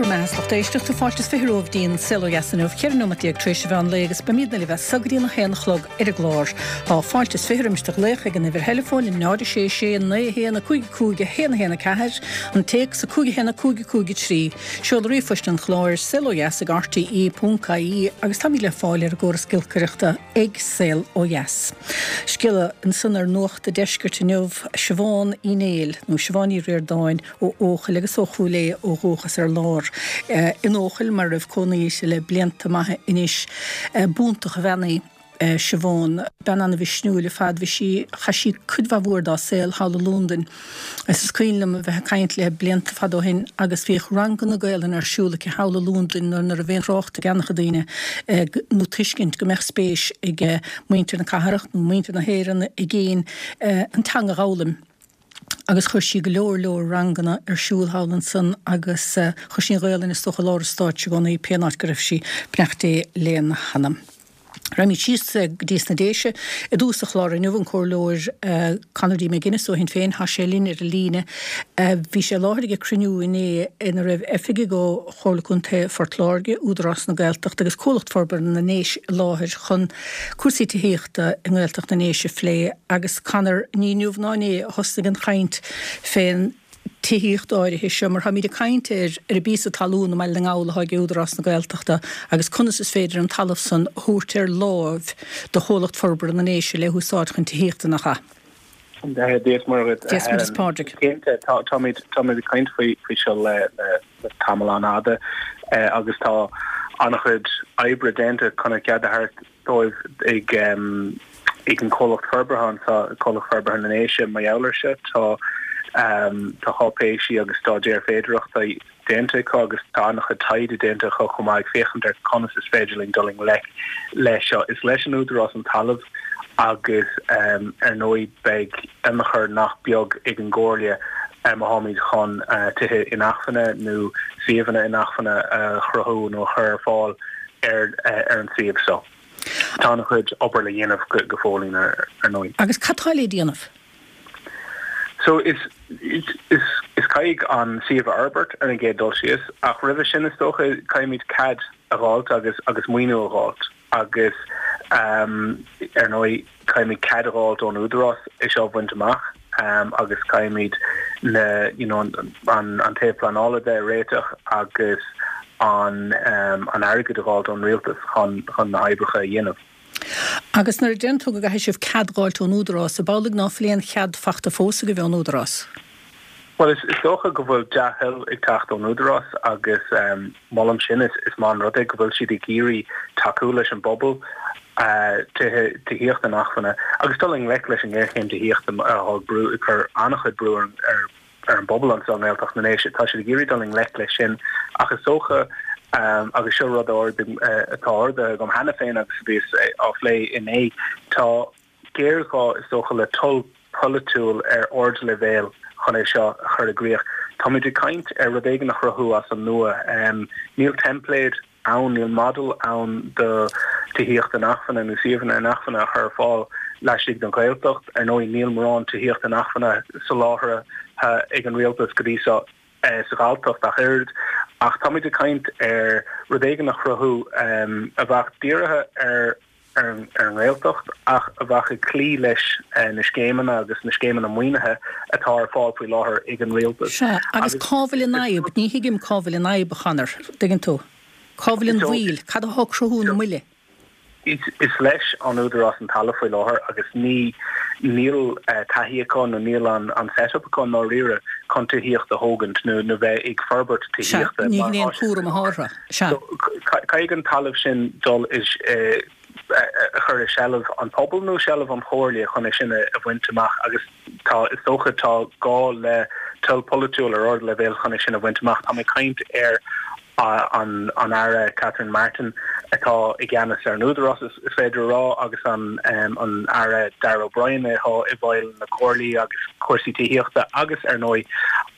Go raibh maith agat a lucht éisteachta, fáilte is 20 romhaibh dtí'n Saol Ó Dheas inniu, 14 nóimeat tar éis an mheán lae agus beimídne libh as so go dtí'n 1 a chlog ar an gclár. Tá fáilte is 20 roimis do ghlaoch ag an uimhir theileafóin 0 6 6 9 1 5 5 1 1 4, an téacs 5 1 5 5 3, seoladh ríomhphoist an chláir, saolodheas ag rte.ie agus táimid le fáil ar an gcóras giolcaireachta ag Saol Ó Dheas. Scéala ansan ar Nuacht a' Deiscirt inniu, Siobhán Uí Néill, nó Siobhán Ní Ríordáin, ó Eochaill agus ó Chúil Aodha ó dhúchas ar lár in Eochaill mar a raibh cónaí uirthi le blianta maithe anois. B'iontach an bhean í Siobhán. Bean ana-mhisniúil ar fad. Bhí sí, chaith sí cuid mhaith mhór dá saol thall i Londain agus is cuimhin liom a bheith ag caint léi blianta fada ó shin agus bhíodh ranganna Gaelainne ar siúl aici thall i Londain nuair nach raibh aon trácht ag an-chuid daoine nó tuiscint go mbeadh spéis ag muintir na cathrach nó muintir na hÉireann i gcéin an teanga a dh'fhoghlaim. agus chuir sí go leor leor ranganna ar siúl thall ansan agus chuir sí an Ghaolainn is dócha i lár an stáitse i gcónaí pé áit go raibh sí, beannacht Dé lena hanam. Raghaimid síos go dtí sna Déise i dtús an chláir inniu, an Comhairleoir Conor D. McGuinness ó Shinn Féin, tá sé linn ar an líne. Bhí sé i láthair ag cruinniú inné ina raibh oifigigh ó Chomhairle Contae Phort Láirge, Údarás na Gaeltachta agus Comhlacht Forbartha na nDéise i láthair chun cúrsaí tithíochta i nGaeltacht na nDéise a phlé agus Conor, ní inniu ná inné a thosnaigh an chaint fén tithíocht áirithe seo mar táimid ag caint ar ar an bpíosa talún i mBaile na nGall atá ag Údarás na Gaeltachta agus conas is féidir an talamh san a thabhairt ar láimh do Chomhlacht Forbartha na nDéise le húsáid chun tithíochta nach ea? Dia is Muire dhuit. Dia is Muire is Pádraig. Cinnte, táimid táimid ag caint faoi faoi seo le le tamall an-fhada agus tá an-chuid oibre déanta chun an cead a thabhairt dóibh ag ag an comhlacht forbartha anseo, Comhlacht Forbartha na nDéise, mar gheall air seo. Tá tá cáipéisí agus staidéir féidearthachta déanta acu agus tá an-chuid taighde déanta acu chomh maith ag féachaint ar conas is féidir linn dul i ngleic leis seo. Is leis an Údarás an talamh agus ar ndóigh beidh ionchur nach beag ag an gComhairle má tháimid chun tithe inacmhainne nó suíomhanna inacmhainne a chruthú nó a chur ar fáil ar ar an suíomh seo. Tá an-chuid obair le dhéanamh go fóillín ar ndóigh. Agus cad tá le déanamh? So is is is caithfidh an suíomh a fhorbairt ar an gcéad dul síos, ach roimhe sin is dócha caithfimid cead a dh'fháilt agus agus maoiniú a dh'fháilt agus ar ndóigh caithfimid cead a dh'fháilt ón Údarás é seo a bhaint amach agus caithfimid na you know an an taobh pleanála de a réiteach agus an an airgead a dh'fháilt ón rialtas chun chun na hoibreacha a dhéanamh. Agus nuair a deireann tú go gcaithfidh sibh cead dh'fháilt ón Údarás, ab amhlaidh ná fuil aon chead fachta fós agaibh ón Údarás? Bhuel, is dócha go bhfuil dea-thoil ag teacht ón Údarás agus molaim sin. Is maith an rud é go bhfuil siad ag iarraidh tacú leis an bpobal, tithe, tithíocht inacmhainne agus dul i ngleic leis an ngéarchéim tithíochta atá ag brú, ag cur an-chuid brú ar ar an bpobal anseo i nGaeltacht na nDéise. Tá siad ag iarraidh dul i ngleic leis sin ach is dócha, agus seo rud atá ardaithe agam cheana féin agus a bhíos á phlé inné, tá géarghá is dócha le toil pholaitiúil ar ardleibhéal chun é seo a chur i gcrích. Táimid ag caint ar rud éigin a chruthú as an nua. Níl teimpléad ann, níl model ann do tithíocht inacmhainne nó suíomhanna inacmhainne a chur ar fáil laistigh den Ghaeltacht. Ar ndóigh, níl mórán tithíocht inacmhainne soláthartha ag an rialtas go dtí seo sa Ghalltacht ach oiread. Ach táimid ag caint ar rud éigin a chruthú a bheadh dírithe ar ar an nGaeltacht ach a bheadh ag cloí leis na scéimeanna agus na scéimeanna maoinithe atá ar fáil faoi láthair ag an rialtas. Sea, agus cá bhfuil an fhadhb? Ní thuigim cá bhfuil an fhadhb, a Chonor. Dtuigeann tú? Cá bhfuil an mhoill? Cad atá ag cruthú na moille? Is leis an Údarás an talamh faoi láthair agus ní níl taithí acu nó níl an set-up acu i ndáiríre chun tithíocht a thógaint nó nó bheith ag forbairt tithíochta. Sea, ní hin é an cúram atá orthu. Sea. Caithfidh an talamh sin dul i a chur i seilbh an pobail nó seilbh an chomhairle chun é sin a bhaint amach agus tá, is dócha, tá gá le toil polaitiúil ar ardleibhéal chun é sin a bhaint amach. Tá mé ag caint ar an an Aire Catherine Martin atá i gceannas ar an Údarás, is féidir a rá, agus an an Aire Darragh O'Brien atá i bhfeighil na comhairlí agus cúrsaí tithíochta agus, ar ndóigh,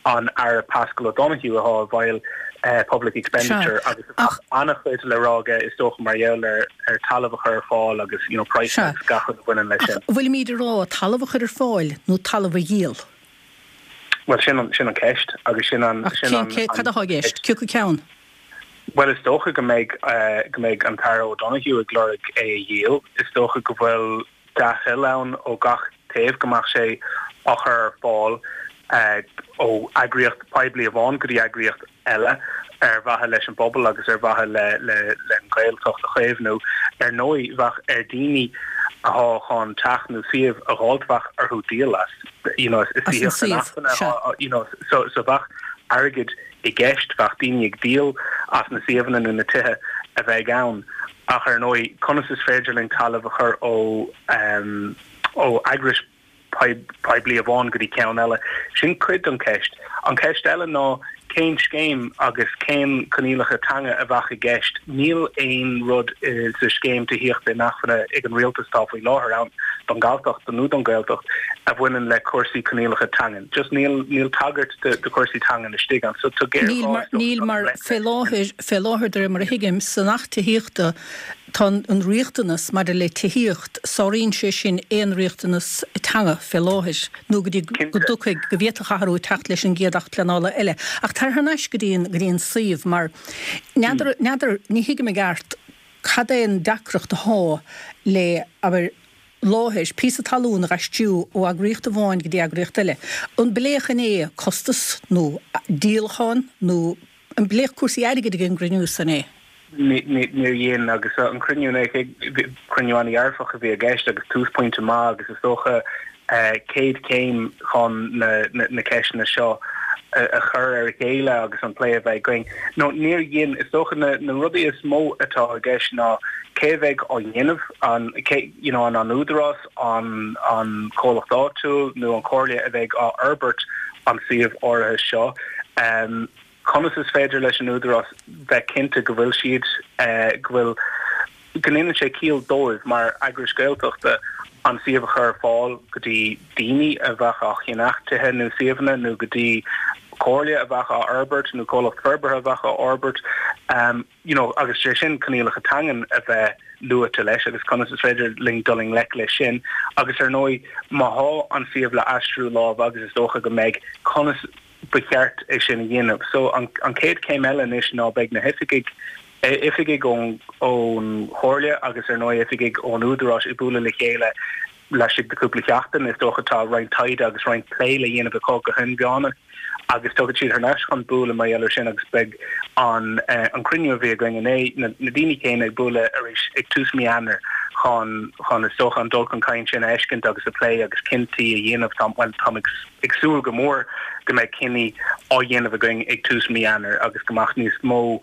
an Aire Paschal O'Donoghue atá i bhfeighil Public Expenditure agus tá an-chuid le rá aige is dócha mar gheall ar ar talamh a chur ar fáil agus you know praghsanna agus gach rud a bhaineann leis sin. Ach bhfuilimid ag rá talamh a chur ar fáil nó talamh a dhíol? Bhuel sin an sin an ceist agus sin an sin an. Ach cén cad atá i gceist? Cé acu ceann? Bhuel, is dócha go mbeidh, go mbeidh an tAire O'Donoghue ag lorg é a dhíol. Is dócha go bhfuil dea-thoil ann ó gach taobh go mbeadh sé á chur ar fáil ó eagraíocht poiblí amháin go dtí eagraíocht eile ar mhaithe leis an bpobal agus ar mhaithe le le an Ghaeltacht a chaomhnú. Ar ndóigh, bheadh ar daoine athá chun teach nó suíomh a dh'fháilt bheadh orthu díol as, you know, is As an suíomh, sea. you know, so so bheadh airgead i gceist, bheadh daoine ag díol as na suíomhanna nó na tithe a bheidh ann. Ach ar ndóigh, conas is féidir linn talamh a chur ó ó eagrais poiblí amháin go dtí ceann eile? Sin cuid den cheist. An cheist eile ná cén scéim agus cén coinníollacha teanga a bheadh i gceist? Níl aon rud sa scéim tithíochta inacmhainne ag an rialtas atá faoi láthair ann don Ghalltacht nó don Ghaeltacht a bhaineann le cúrsaí coinníollacha teangan. Just níl níl tagairt do do chúrsaí teangan istigh ann. So tá géarghá Níl mar níl mar fé láthair fé láthair de réir mar a thuigim san Acht Tithíochta tá an riachtanas maidir le tithíocht sáraíonn sé sin aon riachtanas teanga fé láthair nó go dtí go dtiocfaidh go bhféadfadh athrú teacht leis an gcéad Acht Pleanála eile. Ach tar thar n-ais go dtí an go dtí an suíomh mar n'fheadar n'fheadar ní thuigim i gceart cad é an deacracht athá le abair láthair, píosa talún a dh'aistriú ó eagraíocht amháin go dtí eagraíocht eile. An bpléadh inné costas nó díolachán nó an bpléadh cúrsaí airgid ag an gcruinniú san inné? Níor dhein, agus an cruinniú inné, cruinniú an-dhearfach a bhí i gceist agus túsphointe maith agus is dócha céad chéim chun na ceisteanna seo a chur ar a chéile agus an plé a bheith againn. No, níor dhein. Is dócha na rudaí is mó atá i gceist ná cé a bheidh á dhéanamh, an, cé, you know, an an Údarás, an an comhlacht áitiúil nó an Chomhairle a bheidh á fhorbairt an suíomh áirithe seo. Conas is féidir leis an Údarás bheith cinnte go bhfuil siad, go bhfuil, go ndéanann sé ciall dóibh mar eagrais Gaeltachta an suíomh a chur ar fáil go dtí daoine a bheadh á cheannach tithe nó suíomhanna nó go dtí comhairle a bheadh á fhorbairt nó comhlacht forbartha a bheadh á fhorbairt you know agus sé sin coinníollacha teangan a bheith luaite leis agus conas is féidir linn dul i ngleic leis sin agus ar ndóigh má thá an suíomh le aistriú lámh agus is dócha go mbeidh conas ba cheart é sin a dhéanamh. So an chéad chéim eile anois ná beidh na hoifigigh, oifigigh ón Chomhairle agus ar ndóigh oifigigh ón Údarás ag bualadh le chéile laistigh de chúpla sheachtain. Is dócha tá roinnt taighde agus roinnt plé le dhéanamh acu go hinmheánach agus tiocfaidh siad thar n-ais chun bualadh mar gheall air sin agus beidh an an cruinniú a bhí againn inné, na daoine céanna ag bualadh arís ag tús mí Eanáir chun chun is dócha an dul chun cinn sin a fheiscint agus a phlé agus cinntí a dhéanamh. Tá, bhuel, táim ag. ag súil go mór go mbeidh cinní á dhéanamh againn ag tús mí Eanáir agus go mbeadh níos mó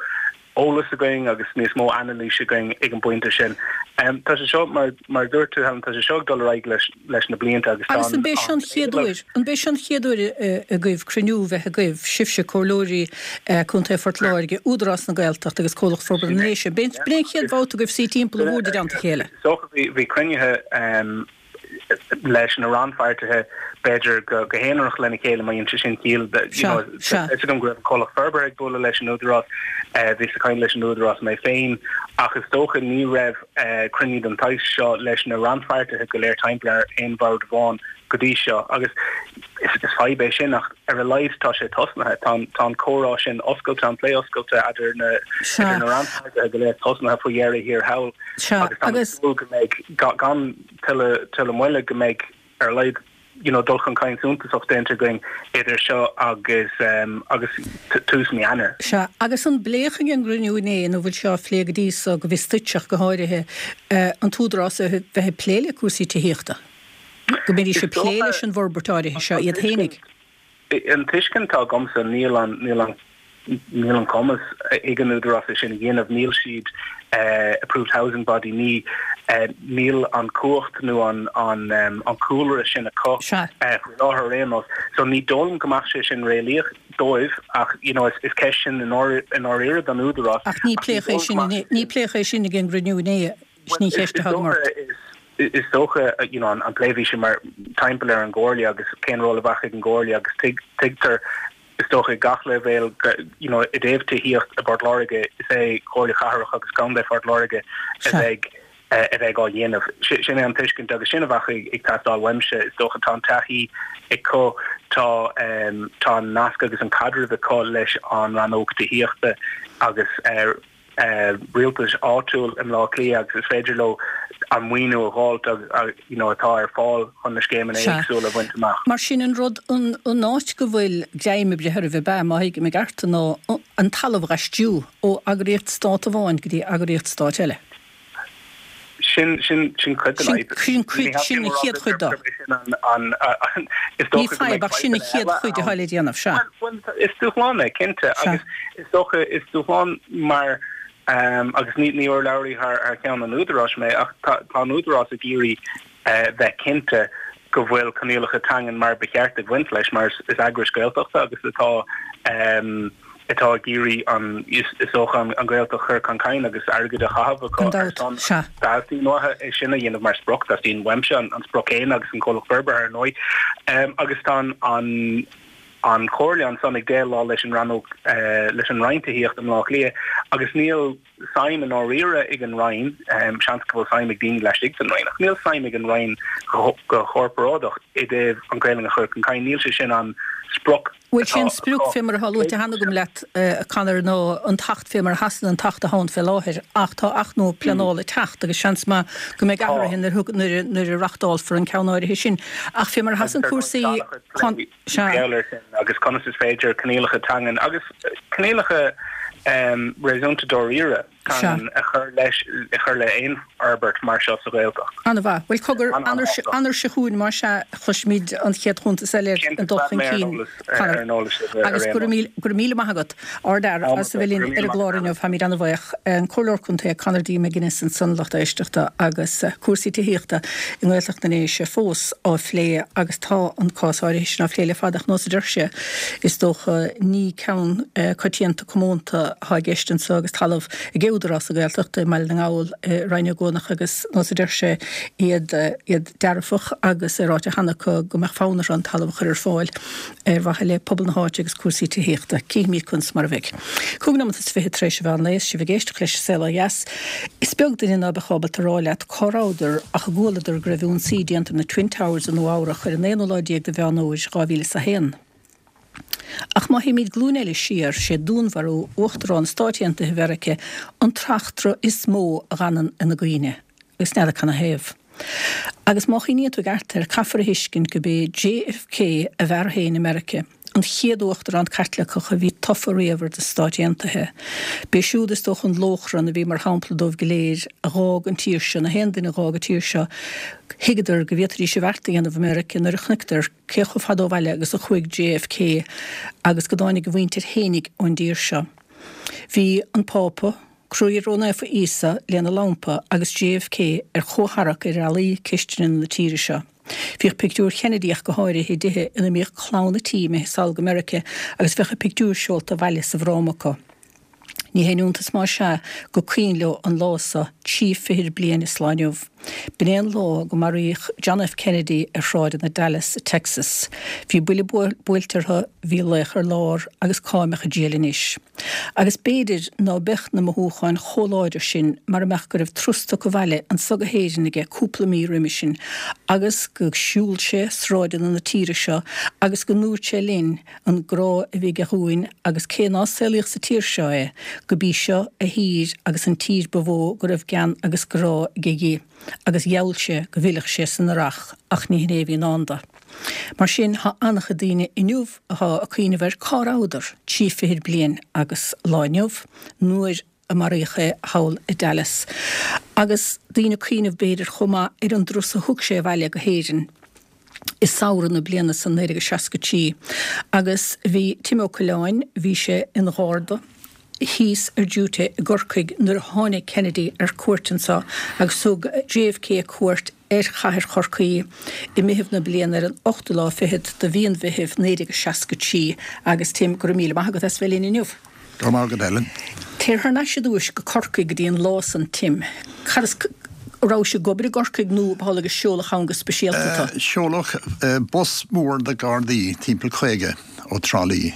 eolas againn agus níos mó anailís againn ag an bpointe sin. Tá sé seo, mar mar a dúirt tú Helen, tá sé seo ag dul ar aghaidh leis leis na blianta agus tá Agus an b'é seo an chéad uair, an b'é seo an chéad uair agaibh cruinniú bheith agaibh, sibhse, Comhairleoirí Contae Phort Láirge, Údarás na Gaeltachta agus Comhlacht Forbartha na nDéise, b'é an chéad bhabhta agaibh suí timpeall an bhoird i dteannta a chéile? Is dócha bhí cruinnithe leis na rannpháirtithe, b'fhéidir go haonarach lena chéile má dhéanann sé sin ciall. You know, tá fhios agam go raibh an comhlacht forbartha ag bualadh leis an Údarás, bhíos ag caint leis an Údarás mé féin, ach is dócha ní raibh cruinniú den tsaghas seo leis na rannpháirtithe go léir timpeall ar aon bhord amháin go dtí seo. Agus is fadhb é sin ach ar a laghad tá sé tosnaithe. Tá tá an comhrá sin oscailte, an plé oscailte idir na idir na rannpháirtithe go léir tosnaithe faoi dheireadh thiar thall agus tá mé ag súil go mbeidh gan tuilleadh tuilleadh moille go mbeidh ar a laghad you know dul chun cinn suntasach déanta againn idir seo agus agus tús mí Eanáir. Sea, agus an bpléadh ag an gcruinniú inné, nó bhfuil sé á phlé go dtí so, go bhfios duit ach go háirithe, an tÚdarás a bheith ag plé le cúrsaí tithíochta? Go mbeidís ag plé leis an bhforbairt áirithe seo iad fhéinig? An tuiscint atá agamsa, níl an, níl an, níl an cumas ag an Údarás é sin a dhéanamh, níl siad approved housing body, ní, níl an cumhacht nó an, an, an cúlra sin acu faoi láthair ar aon nós. So ní dóigh liom go mbeadh sé sin réalaíoch dóibh ach you know is, is ceist sin i ndáiríre don Údarás. Ach ní pléadh é sin inné, ní pléadh é sin ag an gcruinniú inné, sin í an cheist atá agam ort. Is dócha you know an plé bhí sé mar timpeall ar an gComhairle agus cén ról a bheadh ag an gComhairle agus tuigtear is dócha ag gach leibhéal you know i dtaobh tithíocht i bPort Láirge is é Comhairle Chathrach agus Contae Phort Láirge a bheidh a bheidh á dhéanamh. Sin é an tuiscint agus sin a bheadh ag teastáil uaimse is dócha tá an taithí acu tá tá an nasc agus an caidreamh acu leis an rannóg tithíochta. agus rialtais áitiúil i mBleá Cliath agus is féidir leo an maoiniú a dh'fháilt agus you know atá ar fáil chun na scéimeanna éagsúla a bhaint amach. Mar sin an rud, an áit go bhfuil greim ag breith oraibh ab ea, má thuigim i gceart, ná an talamh dh'aistriú ó eagraíocht stát amháin go dtí eagraíocht stáit eile. Sin, sin, sin cuid den fhadhb. Sin cuid, sin an chéad chuid de. Is dócha go mbeidh fadhb, ach sin an chéad chuid atá le déanamh, sea. Bhuel, is dúshlán é, cinnte, agus is dócha, is dúshlán mar, agus ní, ní urlabhraí thar, thar ceann an Údaráis mé, ach tá, tá an Údarás ag iarraidh bheith cinnte go bhfuil coinníollacha teangan mar ba cheart ag bhaint leis, mar is eagrais Gaeltachta agus atá, atá ag iarraidh an, is dócha, an Ghaeltacht a chur chun cinn agus airgead a chaitheamh acu ar son, Teastaíonn uathu é sin a dhéanamh mar sprioc, teastaíonn uaimse an sprioc chéanna agus an comhlacht forbartha ar ndóigh. Agus tá an an Chomhairle ansan ag déileáil leis an rannóg, leis an Roinn Tithíochta i mBleá Cliath agus níl suim i ndáiríre ag an Roinn, seans go bhfuil suim ag daoine laistigh den Roinn, ach níl suim ag an Roinn go corparáideach i dtaobh an Ghaelainn a chur chun cinn, níl sé sin an sprioc Bhuel, sé an sprioc fé mar atá luaite cheana agam leat, a Conor, ná an tAcht fé mar a sheasann an tAcht atá ann fé láthair, ach tá Acht nua Pleanála ag teacht agus seans maith go mbeidh athruithe nuair a reachtálfar an ceann áirithe sin. Ach fé mar a sheasann cúrsaí, sea. Agus conas is féidir coinníollacha teangan agus coinníollacha réasúnta dáiríre, teangan a chur leis, a chur le aon fhorbairt mar seo sa Ghaeltacht. An-mhaith. Bhuel, cogar, Eanáir seo chugainn, más ea, cloisfimid an chéad chuntas eile ar an dul chun cinn, Conor. Agus go raibh míle maith agat, ardfhear, as a bheith linn ar an gclár inniu. Táimid an-bhuíoch. An Comhairleoir Contae Conor D. McGuinness ansan, lucht éisteachta, agus cúrsaí tithíochta i nGaeltacht na nDéise fós á phlé agus tá an cás áirithe sin á phlé le fada ach nós a deir sé, is dócha, ní ceann coitianta comónta atá i gceist anseo agus talamh ag Údarás na Gaeltachta i mBaile na nGall i Rinn Ó gCuanach agus nós a deir sé iad iad dearfach agus é ráite cheana acu go mbeadh fonn orthu an talamh a chur ar fáil ar mhaithe le pobal na háite agus cúrsaí tithíochta. Cífimid conas mar a bheidh. 25 nóimeat tar éis an mheán lae is sibh ag éisteacht leis An Saol Ó Dheas. Is beag duine ná beadh ábalta a rá leat cá rabhadar ach a gcualadar go raibh ionsaí déanta ar na Twin Towers i Nua Eabhrach ar an aonú lá déag de Mheán Fhómhair 2001. Ach má théimid glúin eile siar, sé dúnmharú Uachtarán Stáit Aontaithe Mheirice an t-eachtra is mó a dh'fhanann ina gcuimhne, agus n'fheadar canathaobh. Agus má chuimhníonn tú i gceart air, caithfear a thuiscint go b'é JFK a bhfear féin i Meirice, an chéad Uachtarán Caitliceach a bhí tofa riamh ar na Stáit Aontaithe. B'é siúd is dócha an lóchrann a bhí mar shampla dóibh go léir a dh'fhág an tír seo, na haon duine a dh'fhág an tír seo, thuigeadar go bhféadfaidís a bhfeart a dhéanamh i Meirice nuair a chonaiceadar cé chomh fada ó bhaile agus a chuaigh JFK agus go dtáinig a mhuintir fhéinig ón dtír seo. Bhí an Pápa, Croí Ró-Naofa Íosa lena lampa agus JFK ar chomhtharrac ar fhallaí cistine na tíre seo. Bhíodh pictiúr Kennedy ach go háirithe i dtithe ina mbíodh clann a tí imithe sall go Meirice agus bheadh a bpictiúr seolta abhaile sa bhfráma acu. Ní haon iontas más ea go cuimhin leo an lá so, trí fichid bliain is lá inniu. B'in é an lá go maraíodh John F. Kennedy ar shráideanna Dallas i Texas. Bhí buille buailte orthu, bhí laoch ar lár agus cá mbeadh a diail anois? Agus b'fhéidir ná beadh na mothúcháin chomh láidir sin mara mbeadh go raibh turas tugtha abhaile anso go hÉirinn aige cúpla mí roimhe sin agus go siúl sé sráideanna na tíre seo agus go ndúirt sé linn an grá a bhí aige dhúinn agus cé ná saolaíodh sa tír seo é, go b'í seo a thír agus an tír ba mhó go raibh gean agus grá aige dhi, agus gheall sé go bhfillfeadh sé san earrach, ach ní hin é a bhí i ndán do. Mar sin, thá an-chuid daoine inniu athá ag cuimhneamh ar cá rabhadar trí fichid bliain agus lá inniu, nuair a maraíodh é thall i Dallas. Agus daoine ag cuimhneamh, b'fhéidir, chomh maith ar an dturas a thug sé abhaile go hÉirinn i samhradh na bliana san 1963. Agus bhí Tim Ó Coileáin, bhí sé ina gharda thíos ar duty i gCorcaigh nuair a tháinig Kennedy ar cuairt anseo agus thug JFK cuairt ar chathair Chorcaí i Meitheamh na bliana ar an ochtú lá fichead de mhí an Mheithimh 1963 agus Tim, go raibh míle maith agat as bheith linn inniu. Go raibh maith agat Ellen. Téir thar n-ais i dtúis go Corcaigh go dtí an lá san Tim. Cad as a rabhais ag obair i gCorcaigh nó ab amhlaidh a seoladh ann go speisialta tú? Seoladh bus mór de Ghardaí, timpeall 50, ó Trá Lí.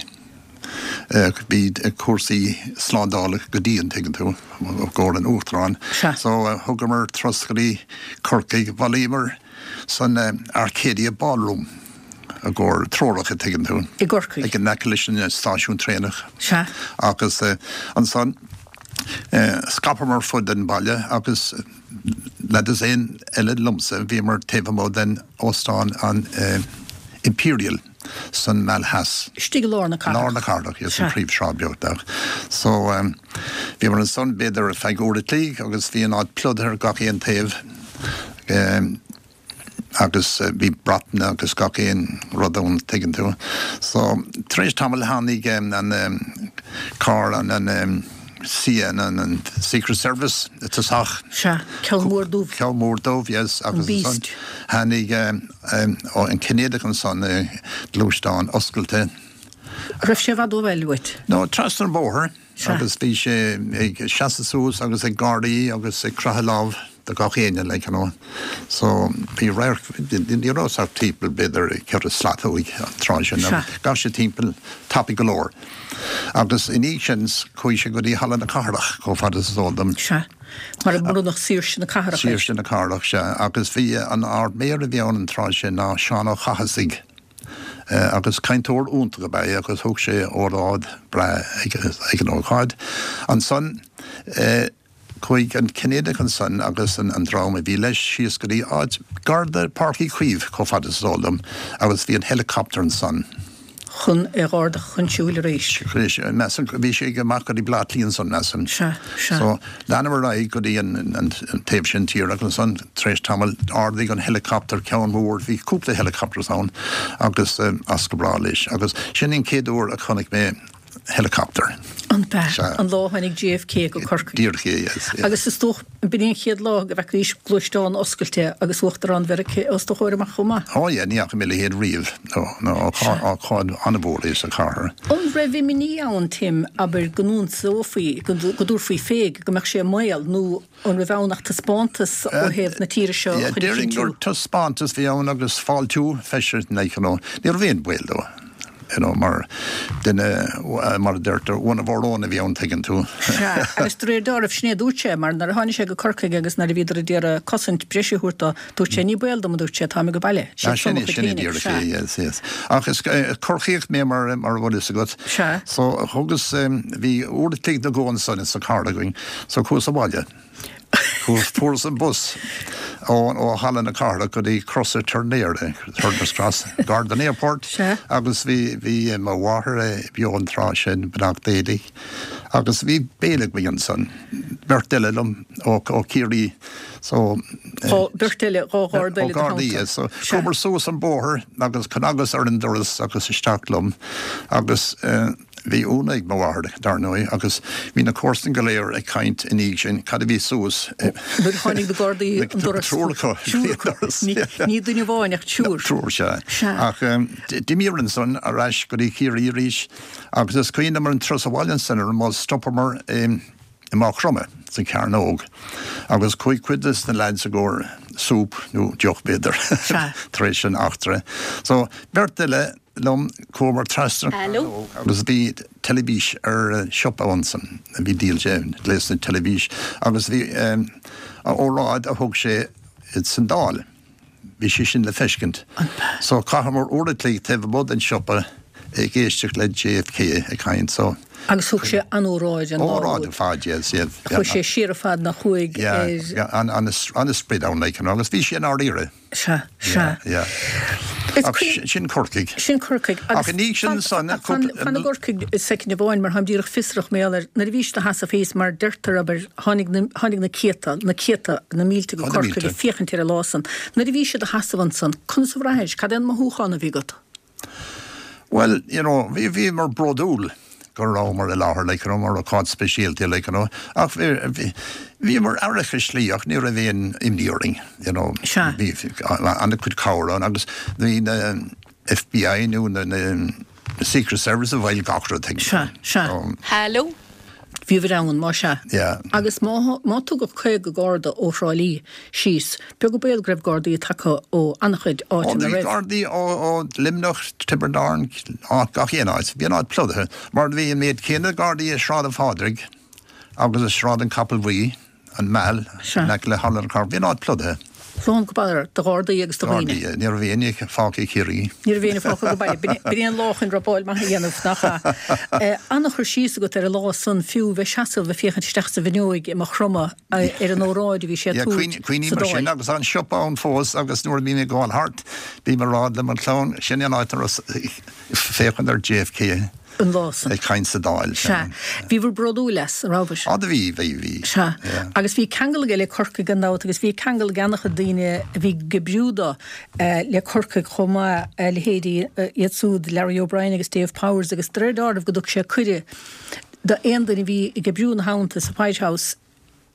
Bhí cúrsaí slándála go dian, tuigeann tú, i gcomhair an Uachtaráin. So thugamar turas go dtí Corcaigh, bhailíomar san Arcadia Ballroom. I gcomhair treorach, a' tuigeann tú. I gCorcaigh. Ag in aice leis an stáisiún traenach. Sea. Agus ansan scaipeamar fud an bhaile agus le dosaen eile liomsa bhíomar taobh amuigh den óstán an Imperial san Meal Theas. Istigh i lár na cathrach. Lár na cathrach, yes, an phríomhshráid beagnach. So bhíomar ansan b'fhéidir ar feadh uair a chloig agus bhí an áit plódaithe ar gach aon taobh. Agus bhí bratanna agus gach aon rud ann, tuigeann tú. So, tar éis tamaill tháinig an carr, an, an CIA, an Secret Service i tosach. Sea, ceann mór dubh. Ceann mór dubh, yes. An Beast. Agus ansan tháinig an Cinnéideach ansan, gluaisteán oscailte. Raibh sé i bhfad ó bhaile uait? No, trasna an bhóthair. Agus bhí sé ag seasamh suas agus ag gáirí agus ag croitheadh lámh do gach éinne, like, you know. So, bhí radharc, ní raibh ach timpeall b'fhéidir ceithre slat uaidh an tráth sin. Ghabh sé timpeall tapaidh go leor. Agus i ndiaidh sin chuaigh sé go dtí Halla na Cathrach, chomh fada is is eol dom. Sea. Mar a bronnadh saoirse na cathrach air. Saoirse na cathrach, sea. Agus bhí an Ard-Mhéara a bhí ann an tráth sin ná Seán Ó Cathasaigh. Agus cainteoir iontach ab ea é agus thug sé óráid breá ag an ócáid. Ansan chuaigh an Cinnéideach ansan agus an dream a bhí leis síos go dtí áit gar do Páirc Uí Chaoimh chomh fada is is eol dom agus bhí an helicopter ansan. chun é a dh'ardach chun siúil arís. Arís, measaim, bhí sé ag amach go dtí Bleá Cliath ansan, measaim. Sea, sea. So, leanamar ar aghaidh go dtí an, an taobh sin tíre agus ansan, tar éis tamaill, d'ardaigh an helicopter ceann mór, bhí cúpla helicopters ann, agus as go bráth leis. Agus sin an chéad uair a chonaic mé helicopter. An b'ea? Sea. An lá a tháinig JFK go Corcaigh. Díreach é, yes, yeah. Agus is dócha, b'in é an chéad lá go bhfeacaís gluaisteán oscailte agus Uachtarán Mheiriceá os do chomhair amach chomh maith. Oh yeah, ní fhaca mé a leithéid riamh. No, no, ócáid an-mhór é sa chathair. An raibh imní ann, Tim, abair, go n-ionsófaí, go dtabharfaí fé, go mbeadh sé i mbaol, nó an raibh ann ach taispeántas ó thaobh na tíre seo a chur a Déarfainn gur taispeántas a bhí ann agus fáiltiú feisire like, you know. Ní raibh aon baol dó, you know, mar duine, mar a deirtear, one of our own a bhí ann, tuigeann tú. Sea, agus de réir dealraimh, sin é a dúirt sé, mar nuair a tháinig sé go Corcaigh agus nuair a bhíodar ag iarraidh cosaint breise a thabhairt dó, dúirt sé, ní baol dom, a dúirt sé, táim ag baile. Sea, sin é, sin é díreach é, yes, yes. Ach is Corcaíoch mé mar a bhfuil fhios agat. Sea. So, thugas, bhí uair a chloig nó dhó ansan sa charr againn, so chuas abhaile. Chuas, fuaireas an bus ó, ó Halla na Cathrach go dtí Crosa Turnéara, Turner's Cross, gar don airport. Sea. Agus bhí, bhí mo mháthair beo an tráth sin, beannacht Dé di, agus bhí béile againn ansan, beirt eile liom ó, ó Chiarraí, so. Dhá, beirt eile, dhá gharda eile i do theannta. Ó ghardaí, so chuamar suas an bóthar agus chnagas ar an doras agus isteach liom agus eh, Bhí ionadh ag mo mháthair, dar ndóigh, agus bhí na comharsana go léir ag caint i ndiaidh sin cad a bhí suas. Nuair a tháinig na Gardaí an doras. Triúr acu. Triúr acu. Ní duine amháin ach triúr. Triúr, sea. Sea. Ach d'imíomar ansan ar ais go dtí Ciarraí arís agus is cuimhin liom ar an turas abhaile ansan ar an mbus stopamar i Maigh Chromtha sa Chearnóg agus chuaigh cuid des na leaids i gcomhair súp nó deoch b'fhéidir tar éis an eachtra. So beirt eile liom, chuamar trasna an Chearnóg agus bhí teilifís ar siopa ansan, bhí díol sé gléasanna teilifís agus bhí óráid a thug sé san Dáil, bhí sé sin le feiscint. So chaitheamar uair a chloig taobh amuigh den siopa ag éisteacht le JFK ag caint so. Agus thug sé an-óráid an lá úd. Óráid ar fad, yes, yeah. Chuaigh sé siar an fad nach chuaigh ar. Yeah, an-sprid ann like, you know, agus bhí sé i ndáiríre. Sea, sea. Yeah, yeah. Ach sin Corcaigh. Sin Corcaigh. Ach i ndiaidh sin san. Fan i gCorcaigh soicind amháin mar táim díreach fiosrach mar gheall air nuair a bhí siad ina sheasamh thíos mar deirtear abair tháinig na tháinig na céadta, na céadta, na mílte go Corcaigh ag féachaint ar an lá san. Nuair a bhí siad ina sheasamh ansan, conas a bhraithis? Cad é an mothúchán a bhí agat? Bhuel, you know, bhí, bhíomar bródúil go rabhamar i láthair, like, you know, mar ócáid speisialta, like, you know, ach bhí, bhíomar aireach i slí ach ní raibh aon imní orainn, you know. Sea. Bhí an-chuid cabhair ann agus bhí na FBI nó na, na Secret Service i bhfeighil gach rud, tuigim. Sea, sea. So. Hello. Bhíobhair ann, má sea. Yeah. Agus má, má tugadh 50 garda ó Thrá Lí síos, beag an baol go raibh gardaí tagtha ó an-chuid Ó, áiteanna bhí roimh. gardaí ó, ó Luimneach, Tiobraid Árann, áit, gach aon áit. Bhí an áit plódaithe. Mar bhí an méid céanna gardaí i Sráid an Phádraig agus i Sráid an Chapaill Bhuí, an Meal, Sea. in aice le Halla na Cathrach. Bhí an áit plódaithe. Lán go barr de Ghardaí agus de dhaoine. Gardaí, ní raibh éinne fágtha i Ciarraí. Ní raibh éinne fágtha go baile. B'in é an lá chun robáil maith a dhéanamh, nach ea? An-chur síos agat ar an lá san fiú, bheith seasamh ag féachaint isteach sa bhfuinneoig i Maigh Chromtha ar an óráid a bhí sé a tabhairt sa Dáil. Cuimhním ar sin agus tá an siopa ann fós agus nuair a bhím ag gabháil thart bím ag rá le mo chlann, sin é an áit a raibh féachaint ar JFK. an lá san. Ag caint sa Dáil. Sea. Bhíobhair bródúil as, an rabhabhair? Á do bhí, bhí, bhí. Sea. Agus bhí ceangal aige le Corcaigh gan dabht agus bhí ceangal ag an-chuid daoine a bhí ag oibriú dó le Corcaigh chomh maith, a leithéidí iad súd, Larry O'Brien agus Dave Powers agus de réir dealraimh go dtug sé cuireadh d'aon duine a bhí ag oibriú ina theannta sa White House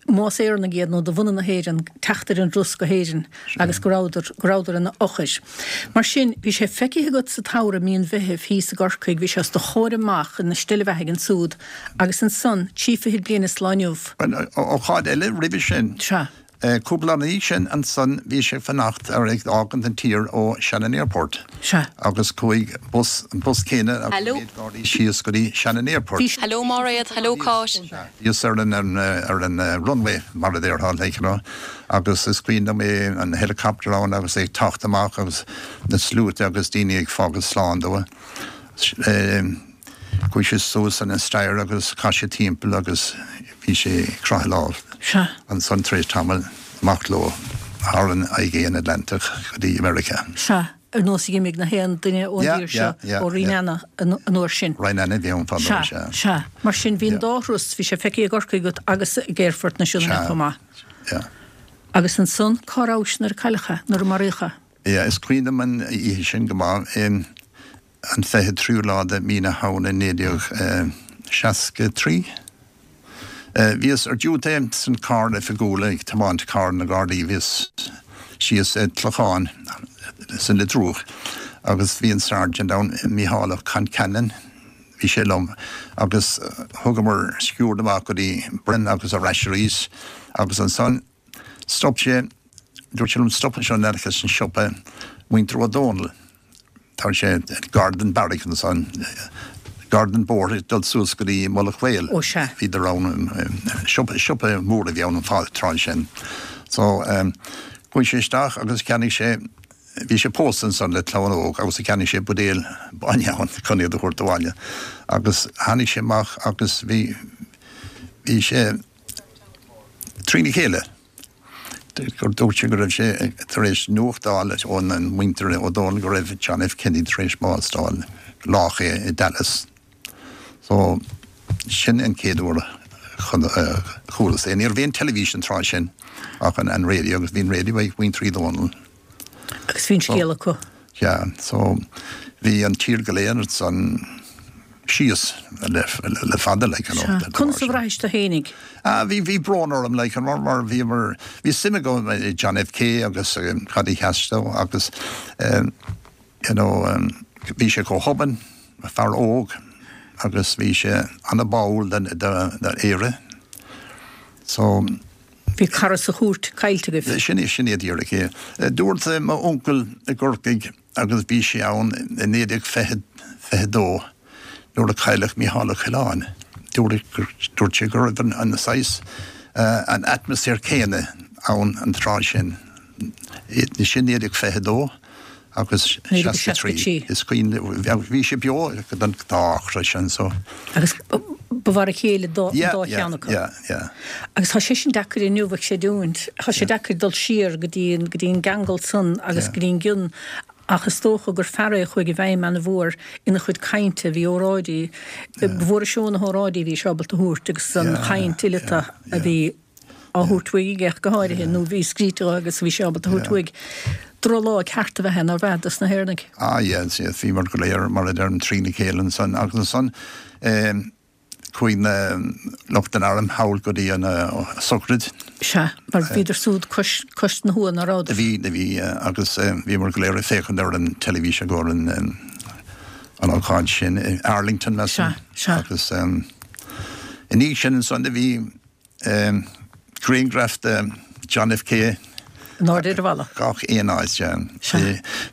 más Éireannaigh iad nó de bhunadh na hÉireann, teacht ar an dturas go hÉirinn agus go rabhadar, go rabhadar ina fhochair. Mar sin, bhí sé feicthe agat sa tsamhradh mí an Mheithimh thíos i gCorcaigh, bhí sé os do chomhair amach ina steillebheathaidh ansúd agus ansan, trí fichid bliain is lá inniu. Bhuel, ócáid eile roimhe sin. Sea. Cúpla lá ina dhiaidh sin ansan bhí sé ag fanacht ar ag fhágaint an tír ó Shannon Airport. Sea. Agus chuaigh bus, an bus céanna agus Hello. méid Gardaí síos go dtí Shannon Airport. Bhí. Hello Máiréad, hello Cáit. Sea. Bhíos ar an ar an runway mar a déarfá like you know agus is cuimhin liom é an helicopter ann agus é ag teacht amach agus na sluaite agus daoine ag fágáil slán dó. Chuaigh sé suas an staighre agus chas sé timpeall agus bhí sé ag croitheadh lámh. Sea. Ansan tar éis tamaill amach leo thar an Aigéan Atlantach go dtí Meiriceá. Sea. ar nós a d'imigh na haon duine ón dtír seo ó Rineanna an uair sin. Rineanna a bhí ann fadó, sea. Sea, sea. Mar sin, bhí an dá thuras, bhí sé feicthe i gCorcaigh agat agus ag Aerfort na Sionainne chomh maith. Sea, sea. Agus ansan, cá rabhais nuair a cailleadh é, nuair a maraíodh é? Yeah, is cuimhin liom an oíche sin go maith. An 23ú lá de mí na Shamhna 1963. Bhíos ar diúité san carr oifigiúil ag tiomáint carr na Gardaí. Bhíos síos i gClochán san Leitriúch agus bhí an Sergeant ann, Mícheál Ó Concheanainn, bhí sé liom agus thugamar sciúrd amach go dtí Bren agus ar ais arís agus ansan stop sé, dúirt sé liom stop anseo in aice leis an siopa, muintir Ó Dónaill. Tá sé gar don beairic ansan, gar don bóthar ag dul suas go dtí Mullach Mhaol. Ó sea. Bhíodar ann, siopa, siopa mór a bhí ann an tráth sin. So, chuaigh sé isteach agus cheannaigh sé, bhí sé pósta ansan le clann óg agus cheannaigh sé buidéal bainne ann chun iad a thabhairt abhaile. Agus tháinig sé amach agus bhí, bhí sé trína chéile. gur dúirt sé go raibh sé tar éis nuacht a fháil ón muintir Ó Dónaill go raibh John F. Kennedy tar éis bás d'fháil, lách é i Dallas. So, sin an chéad uair a chualas é. Ní raibh aon teilifís an tráth sin ach an radio agus bhí an radio ag muintir Uí Dhónaill. Agus bhí an scéal acu. Yeah, so bhí an tír go léir ansan síos le le fada like you know. Sea. Conas a bhraithis tú fhéinig? Ah bhí bhí brón orm like mar mar bhíomar bhí suim agam i John F K agus cad a sheas dó agus you know bhí sé chomh hobann, fear óg agus bhí sé ana-báúil do do Éire so. Bhí cara sa chúirt caillte agaibh. Sin é, sin é díreach é. Dúirt m'uncail i gCorcaigh agus bhí sé ann i 1922 nuair a cailleadh Mícheál Ó Coileáin, dúirt, dúirt sé go raibh an saghas, an atmaisféar céanna ann an tráth sin. Sin 1922. Agus 63, is cuimhin, bhí sé beo don dá eachtra sin so. Agus ba mhar a chéile an dá cheann acu. Yeah, yeah. Agus tá sé sin deacair inniu a chreidiúint, tá sé deacair dul siar go dtí an, go dtí an gceangal san agus go dtí an gcion ach is dócha gur fear é a chuaigh i bhfeidhm ana-mhór ina chuid cainte, bhí óráidí, ba mhór an seó na hóráidí a bhí sé ábalta a thabhairt agus an chaint fhileata a bhí á thabhairt uaidh aige ach go háirithe, nó bhí scríte agus bhí sé ábalta a thabhairt uaidh. Drochlá ceart ab ea é, nárbh ea, dos na hÉireannaigh? Ah yes, yes, bhíomar go léir, mar a deirim, trína chéile ansan agus ansan chuaigh na lucht an airm thall go dtí an sochraid. Sea, mar bhíodar súd cois, cois na huaighe, ná rabhadar? Bhí, bhí, agus bhíomar go léir ag féachaint ar an teilifís i gcomhair an, an ócáid sin i Arlington, measaim. Sea, sea. Agus i ndiaidh sin ansan do bhí, Grianghraf de John F K. In airde ar an bhalla. Gach aon áit, yeah.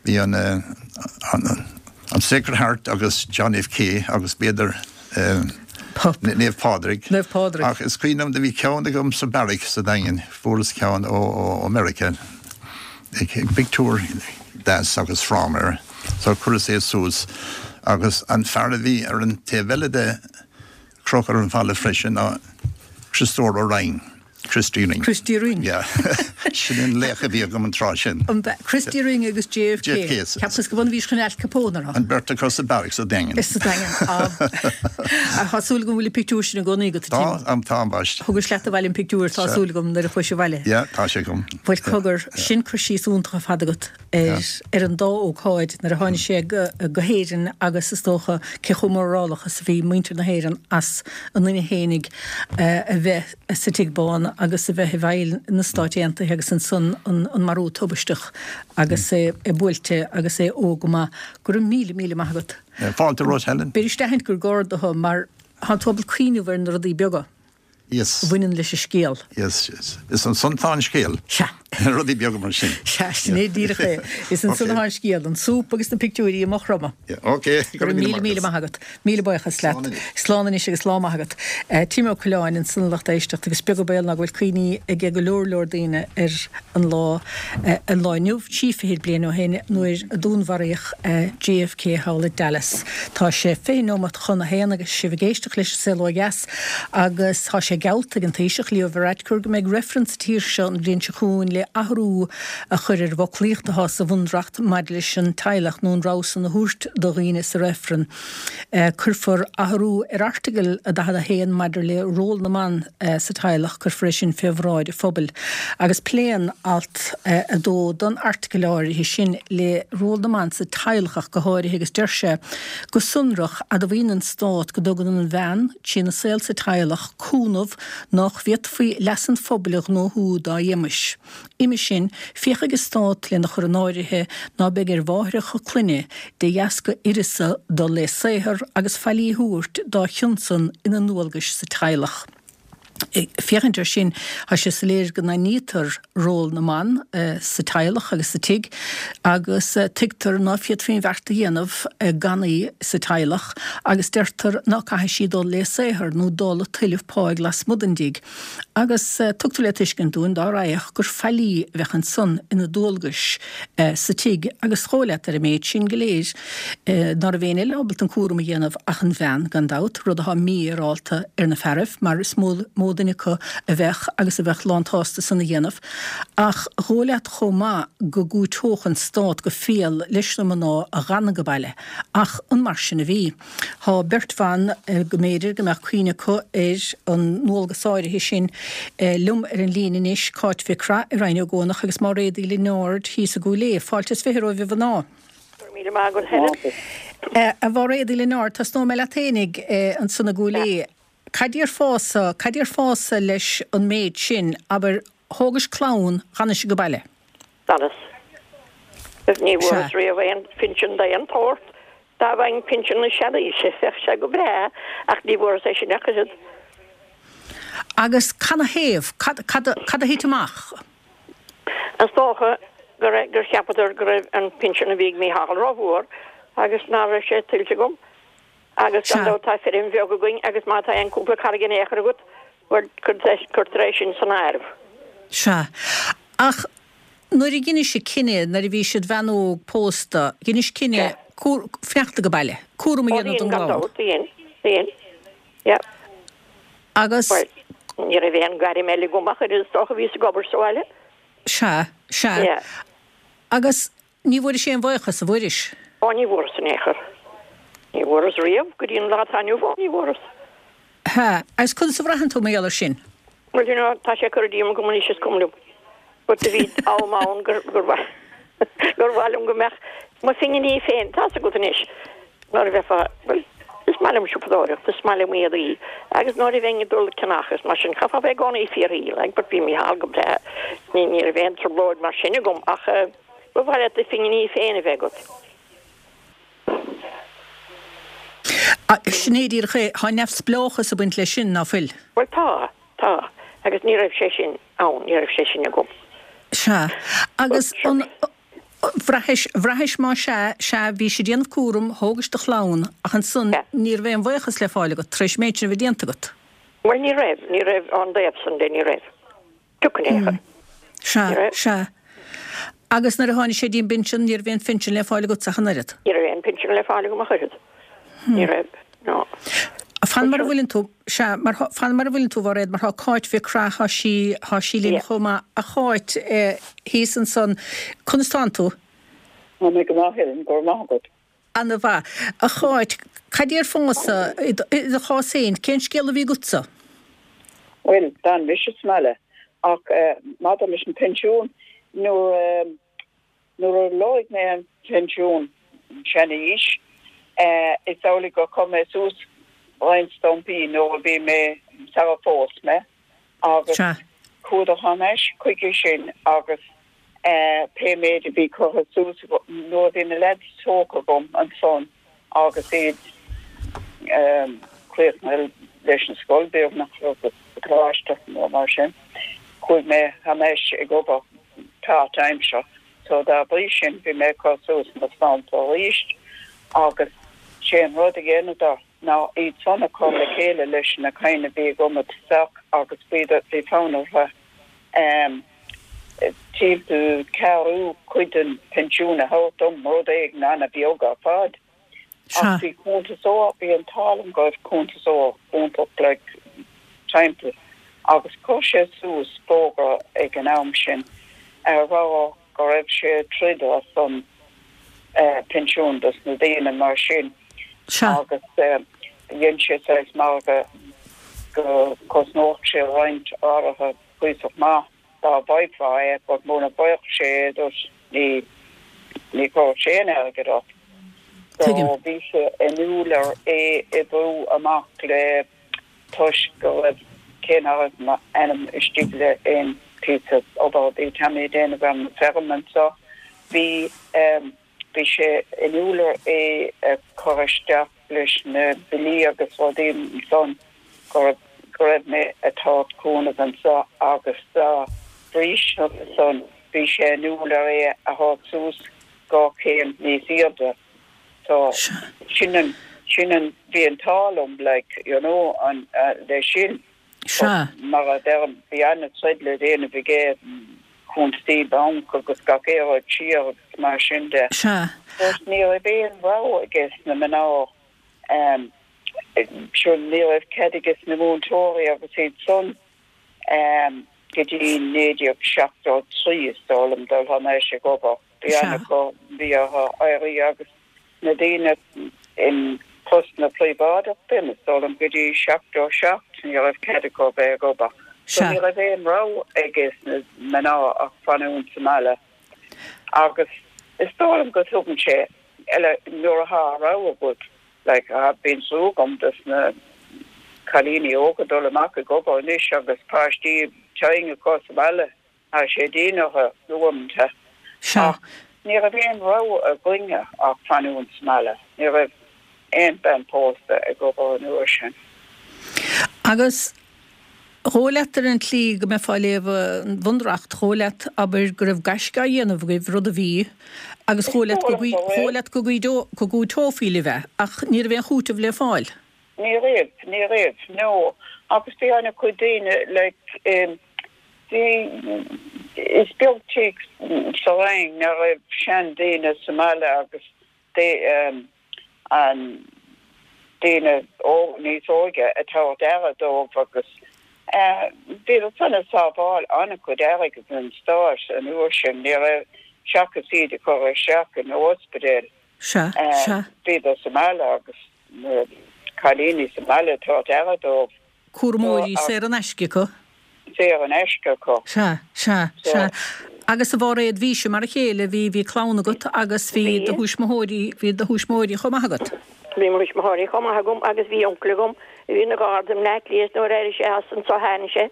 Bhí an an Sacred Heart agus John F K agus b'fhéidir Naomh Pádraig. Naomh Pádraig. Ach is cuimhin liom do bhí ceann agam sa beairic sa Daingean, fuaireas ceann ó Meiriceá. Pictiúr deas agus fráma air. So chuireas é suas agus an fear a bhí ar an taobh eile de crochadh ar an bhfalla freisin ná Criostóir Ó Rinn, Chris Deering. Chris Deering. Yeah. Sin an laoch a bhí agam an tráth sin. An b'ea? Chris Deering agus JFK. JFK. Ceapas go b'ionann bhís chun Al Capone a rá. An beirt acu sa beairic sa Daingean. Is sa Daingean. Tá súil agam go bhfuil an pictiúr sin i gcónaí agat, a Tim. Tá, tá, ambaist. Thugais leat abhaile an pictiúr, tá súil agam, nuair a chuais abhaile. Yeah, tá sé agam. Bhuel, cogar, sin cur síos iontach ar fad agat ar ar an dá ócáid, nuair a tháinig sé go go hÉirinn agus is dócha cé chomh mórálach is a bhí muintir na hÉireann as a nduine fhéinig a bheith sa Tigh Bán agus a bheith i bhfeighil na Stáit Aontaithe agus ansan an an marú tubaisteach agus é buailte agus é óg go maith. Go raibh míle, míle maith agat. Fáilte romhat, Helen. B'fhéidir a aithint gur garda thú mar tá tú ábalta cuimhneamh ar na rudaí beaga. Yes. a bhaineann leis an scéal. Yes, yes. Is ansan tá an scéal. Sea. Rudaí beaga mar sin. Sea, sin é díreach é. Is ansan atá an scéal, an súp agus na pictiúirí amuigh rompu. Yeah, ok. Go raibh míle, míle maith agat. Míle buíochas leat. Slán anois. Slán anois agus lá maith agat. Tim Ó Coileáin ansan a lucht éisteachta agus beag an baol ná go bhfuil cuimhní ag go leor leor daoine ar an lá, an lá inniu, 23 bliain ó shin nuair a dúnmharaíodh JFK thall i Dallas. Tá sé 20 nóimeat chun a haon agus sibh ag éisteacht leis An Saol Ó Dheas. Agus tá sé geallta ag an Taoiseach, Leo Varadkar, go mbeidh reifreann sa tír seo an bhliain seo chugainn le athrú a chur ar an bhfoclaíocht atá sa Bhunreacht maidir leis an teaghlach nó an rogha san a thabhairt do dhaoine sa reifreann. Cuirfear athrú ar Airteagal 41 maidir le ról na mban sa teaghlach, cuirfear é sin fé bhráid an phobail. Agus pléann alt 2 den airteagal áirithe sin le ról na mban sa teaghlach ach go háirithe agus deir sé Go sonrach, admhaíonn an Stát go dtugann an bhean, trína saol sa teaghlach, cúnamh nách bhféadfaí leas an phobail a ghnóthú dá éamais. Uime sin, féachfaidh an Stát lena chur in áirithe ná beidh ar mháithreacha clainne, de dheasca uireasa dul le saothar agus faillí a thabhairt dá chionn san ina ndualgais sa teaghlach. Féachaint air sin, tá sé soiléir go n-aithnítear ról na mban sa teaghlach agus sa tigh agus tuigtear ná féadfaí an bheart a dhéanamh gan í sa teaghlach agus deirtear ná caithfidh sí dul le saothar nó dul ag tuilleamh páigh lasmuigh den dtigh agus tugtar le tuiscint dúinn dá raghadh gur faillí a bheadh ansan ina dualgais sa tigh agus dhóigh leat ar an méid sin go léir ná raibh éinne eile ábalta an cúram a dhéanamh ach an bhean, gan dabht, rud atá mífhéarálta ar na fearaibh, mar is mó duine acu a bheadh agus a bheadh lán-tsásta san a dhéanamh. Ach dhóigh leat chomh maith go gcúiteodh an stát go fial leis na mná a dh'fhan age baile. Ach an mar sin a bhí? Tá beirt bhan go mb'fhéidir go mbeadh cuimhne acu ar an ndualgas áirithe sin liom ar an líne anois, Cáit Mhic Craith i Rinn Ó gCuanach agus Máiréad Uí Lionáird thíos i gCúil Aodha. Fáilte is 20 romhaibh a mhná. Go raibh míle maith agat Helen. A Mháiréad Uí Lionáird, tosnóidh mé leat fhéinig ansan i gCúil Aodha. Cad déarfása, cad déarfása leis an méid sin, abair, thógais clann, dh'fhanais age baile? D'fhanas. Ní bhfuaireas riamh aon phinsean d'aon tsórt. Dá bhfaighinn pinsean na seanaoise, bheadh sé go breá, ach ní bhfuaireas é sin ach oiread. Agus canathaobh? Cad, cad, cad a thit amach? Is dócha go raibh, gur cheapadar go raibh an pinsean a bhí ag Mícheál rómhór agus ná raibh sé tuillte agam. Agus gan dabht tá feirm bheag againn agus má tá aon cúpla carraig in aon chor agat, bhuel, cuirtear é sin san áireamh. Sea. Ach nuair a dheinis an cinneadh, nuair a bhí siad bhean óg pósta, dheinis cinneadh fanacht age baile, cúram a Ó dhéanamh dhein, don gan gclann. dabht, dhein, dhein. Yeah. Agus. Bhuel, ní raibh aon gairm eile agam ach oiread is dócha, bhíos ag obair sa bhaile. Sea, sea. Yeah. Agus ní bhfuairis aon bhuíochas, an bhfuairis? Ó, ní bhfuaireas in aon chor. Ní bhfuaireas riamh go dtí an lá atá inniu ann, ní bhfuaireas. Sea. Agus conas a bhraitheann tú mar gheall air sin? Bhuel, you know, tá sé curtha díom agam anois, is cuma liom. But do bhí am ann gur, gur mhaith, gur mhaith liom go mbeadh mo phinginí féin, tá's agat anois, nuair a bheifeá, bhuel, is maith liom siopadóireacht, is maith liom éadaí, agus nuair a bheinn ag dul ag ceannach is mar sin, chaithfeá bheith i gcónaí fíorshaoil, like, but bhí Mícheál go breá, ní, ní raibh aon trioblóid mar sin agam, ach eh, ba mhaith leat do phinginí féin a bheith agat. Sin é díreach é, tá neamhspleáchas ag baint leis sin, ná fuil? Bhuel tá, tá, agus ní raibh sé sin ann, ní raibh sé sin agam. Sea, agus an, bhraithis, bhraithis má sea, sea, bhís ag déanamh cúram, thógais do chlann, ach ansan ní raibh aon bhuíochas le fáil agat tar éis an méid sin a bheith déanta agat. Bhuel ní raibh, ní raibh, ón dtaobh san de, ní raibh. Pioc in aon chor. Sea, sea. Agus nuair a tháinig sé dtí'n bpinsean, ní raibh aon phinsean le fáil agatsa ach an oiread? Ní raibh aon pinsean le fáil agam ach oiread. Ní raibh, no. Fan mar a bhfuileann tú, sea, mar thá, fan mar a bhfuileann tú, a Mhairéad, mar thá Cáit Mhic Craith, thá sí, thá sí linn chomh maith. A Cháit, eh, thíos ansan, conas tánn tú? Tá mé go maith, Helen, go raibh maith agat. Ana mhaith. A Cháit, cad déarfása, i do chás féin, cén scéal a bhí agatsa? Bhuel, d'fhan mise sa mbaile, ach maidir leis an bpensiún, nuair nuair a lorg mé an pensiún, sean-aois, is amhlaidh gur chuir mé suas roinnt stampaí nuair a bhí mé, sara phós mé, agus chuadar thar n-ais chuige sin agus pé méid a bhí curtha suas nuair a bhí na leaids tógtha agam ansan agus iad críochnaithe leis an scoil beagnach agus coláiste nó mar sin, chuaigh mé thar n-ais ag obair páirtaimseartha so dá bhrí sin bhí mé ag cur suas na stampaí arís agus sé an rud a dheineadar ná iad san a chur le chéile leis na cinn a bhí agam i dtosach agus bhí fonn orthu timpeall ceathrú cuid den phinsiún a thabhairt dom, rud éigin ana-bheag ar fad. Ach bhí cuntasóir, bhí an t-ádh liom go raibh cuntasóir iontach like timpeall agus chuir sé suas fógra ag an am sin a rá go raibh sé ag troid ar son pinsiún dos na daoine mar sin agus dhein sé saghas margadh go gcosnódh sé roinnt áirithe cuíosach maith dá bhfaighfeá é but muna bhfaigheadh sé é duit ní ní chuirfeadh sé aon airgead ort. So bhí sé inniúil ar é oibriú amach le toisc go raibh, cé nach raibh m'ainm istigh le aon phíosa obair a bhí Tommy ag déanamh ar an bhfeirm anseo, bhí, bhí sé inniúil ar é a chur isteach leis na billí agus rudaí ansan go raibh, go raibh mé ag tabhairt cúnamh anseo agus dá bhrí san bhí sé inniúil ar é a thabhairt suas dhá chéim níos airde. So, sin an, sin an, bhí an t-ádh liom, like, you know, an, leis sin. Sea. Mar a deirim, bhí ana-troid le déanamh aige, cuntasaí banc agus gach aon rud siar agus mar sin de. Sea. But ní raibh aon rogha aige sna mná, um, sure, ní raibh cead aige sna múinteoirí agus iad san, um, go dtí 1973 is dóigh liom dul thar n-ais ag obair. Bhí ana-, bhí orthu éirí agus na daoine in postanna príobháideach b'in is dóigh liom go dtí 77 ní raibh cead acu bheith ag obair. So ní raibh aon rogha aige sna mná ach fanúint sa mbaile. Agus is dóigh liom go dtugann sé eile nuair atá rogha agat like bíonn trua agam dos na cailíní óga dul amach ag obair anois agus páistí tinn acu sa mbaile. Tá sé dian orthu uaireanta. Sea. Ach ní raibh aon rogha againne ach fanúint sa mbaile. Ní raibh aon bean pósta ag obair an uair sin. Agus dhóigh leat ar an tslí go mbeifeá ag léamh an Bhunreacht, dhóigh leat, abair, go raibh gaisce á dhéanamh agaibh, rud a bhí, agus dhóigh leat go dhóigh leat go go gcúiteofaí libh é, ach ní raibh aon chúiteamh le fáil. Ní raibh, ní raibh, no. Agus bhí ana-chuid daoine, like, eh, Bhí, is beag tigh sa Rinn nach raibh seandaoine sa mbaile agus an daoine níos óige ag tabhairt aire dóibh agus bhíodar san ag sábháil an-chuid airgid don stát an uair sin, ní raibh, seachas iad a chur isteach in ospidéal, bhíodar sa mbaile agus na cailíní sa mbaile ag tabhairt aire dóibh. Cúramóirí saor in aisce acu. Saor in aisce acu. Sea, sea, sea. Agus a Mháiréad, bhís mar a chéile, bhí, bhí clann agat agus bhí do thuismitheoirí, bhí do thuismitheoirí chomh maith agat. Bhí mo thuismitheoirí chomh maith agam agus bhí uncail agam a bhí ina gharda i mBleá Cliath nuair a d'éirigh sé as anso tháinig sé.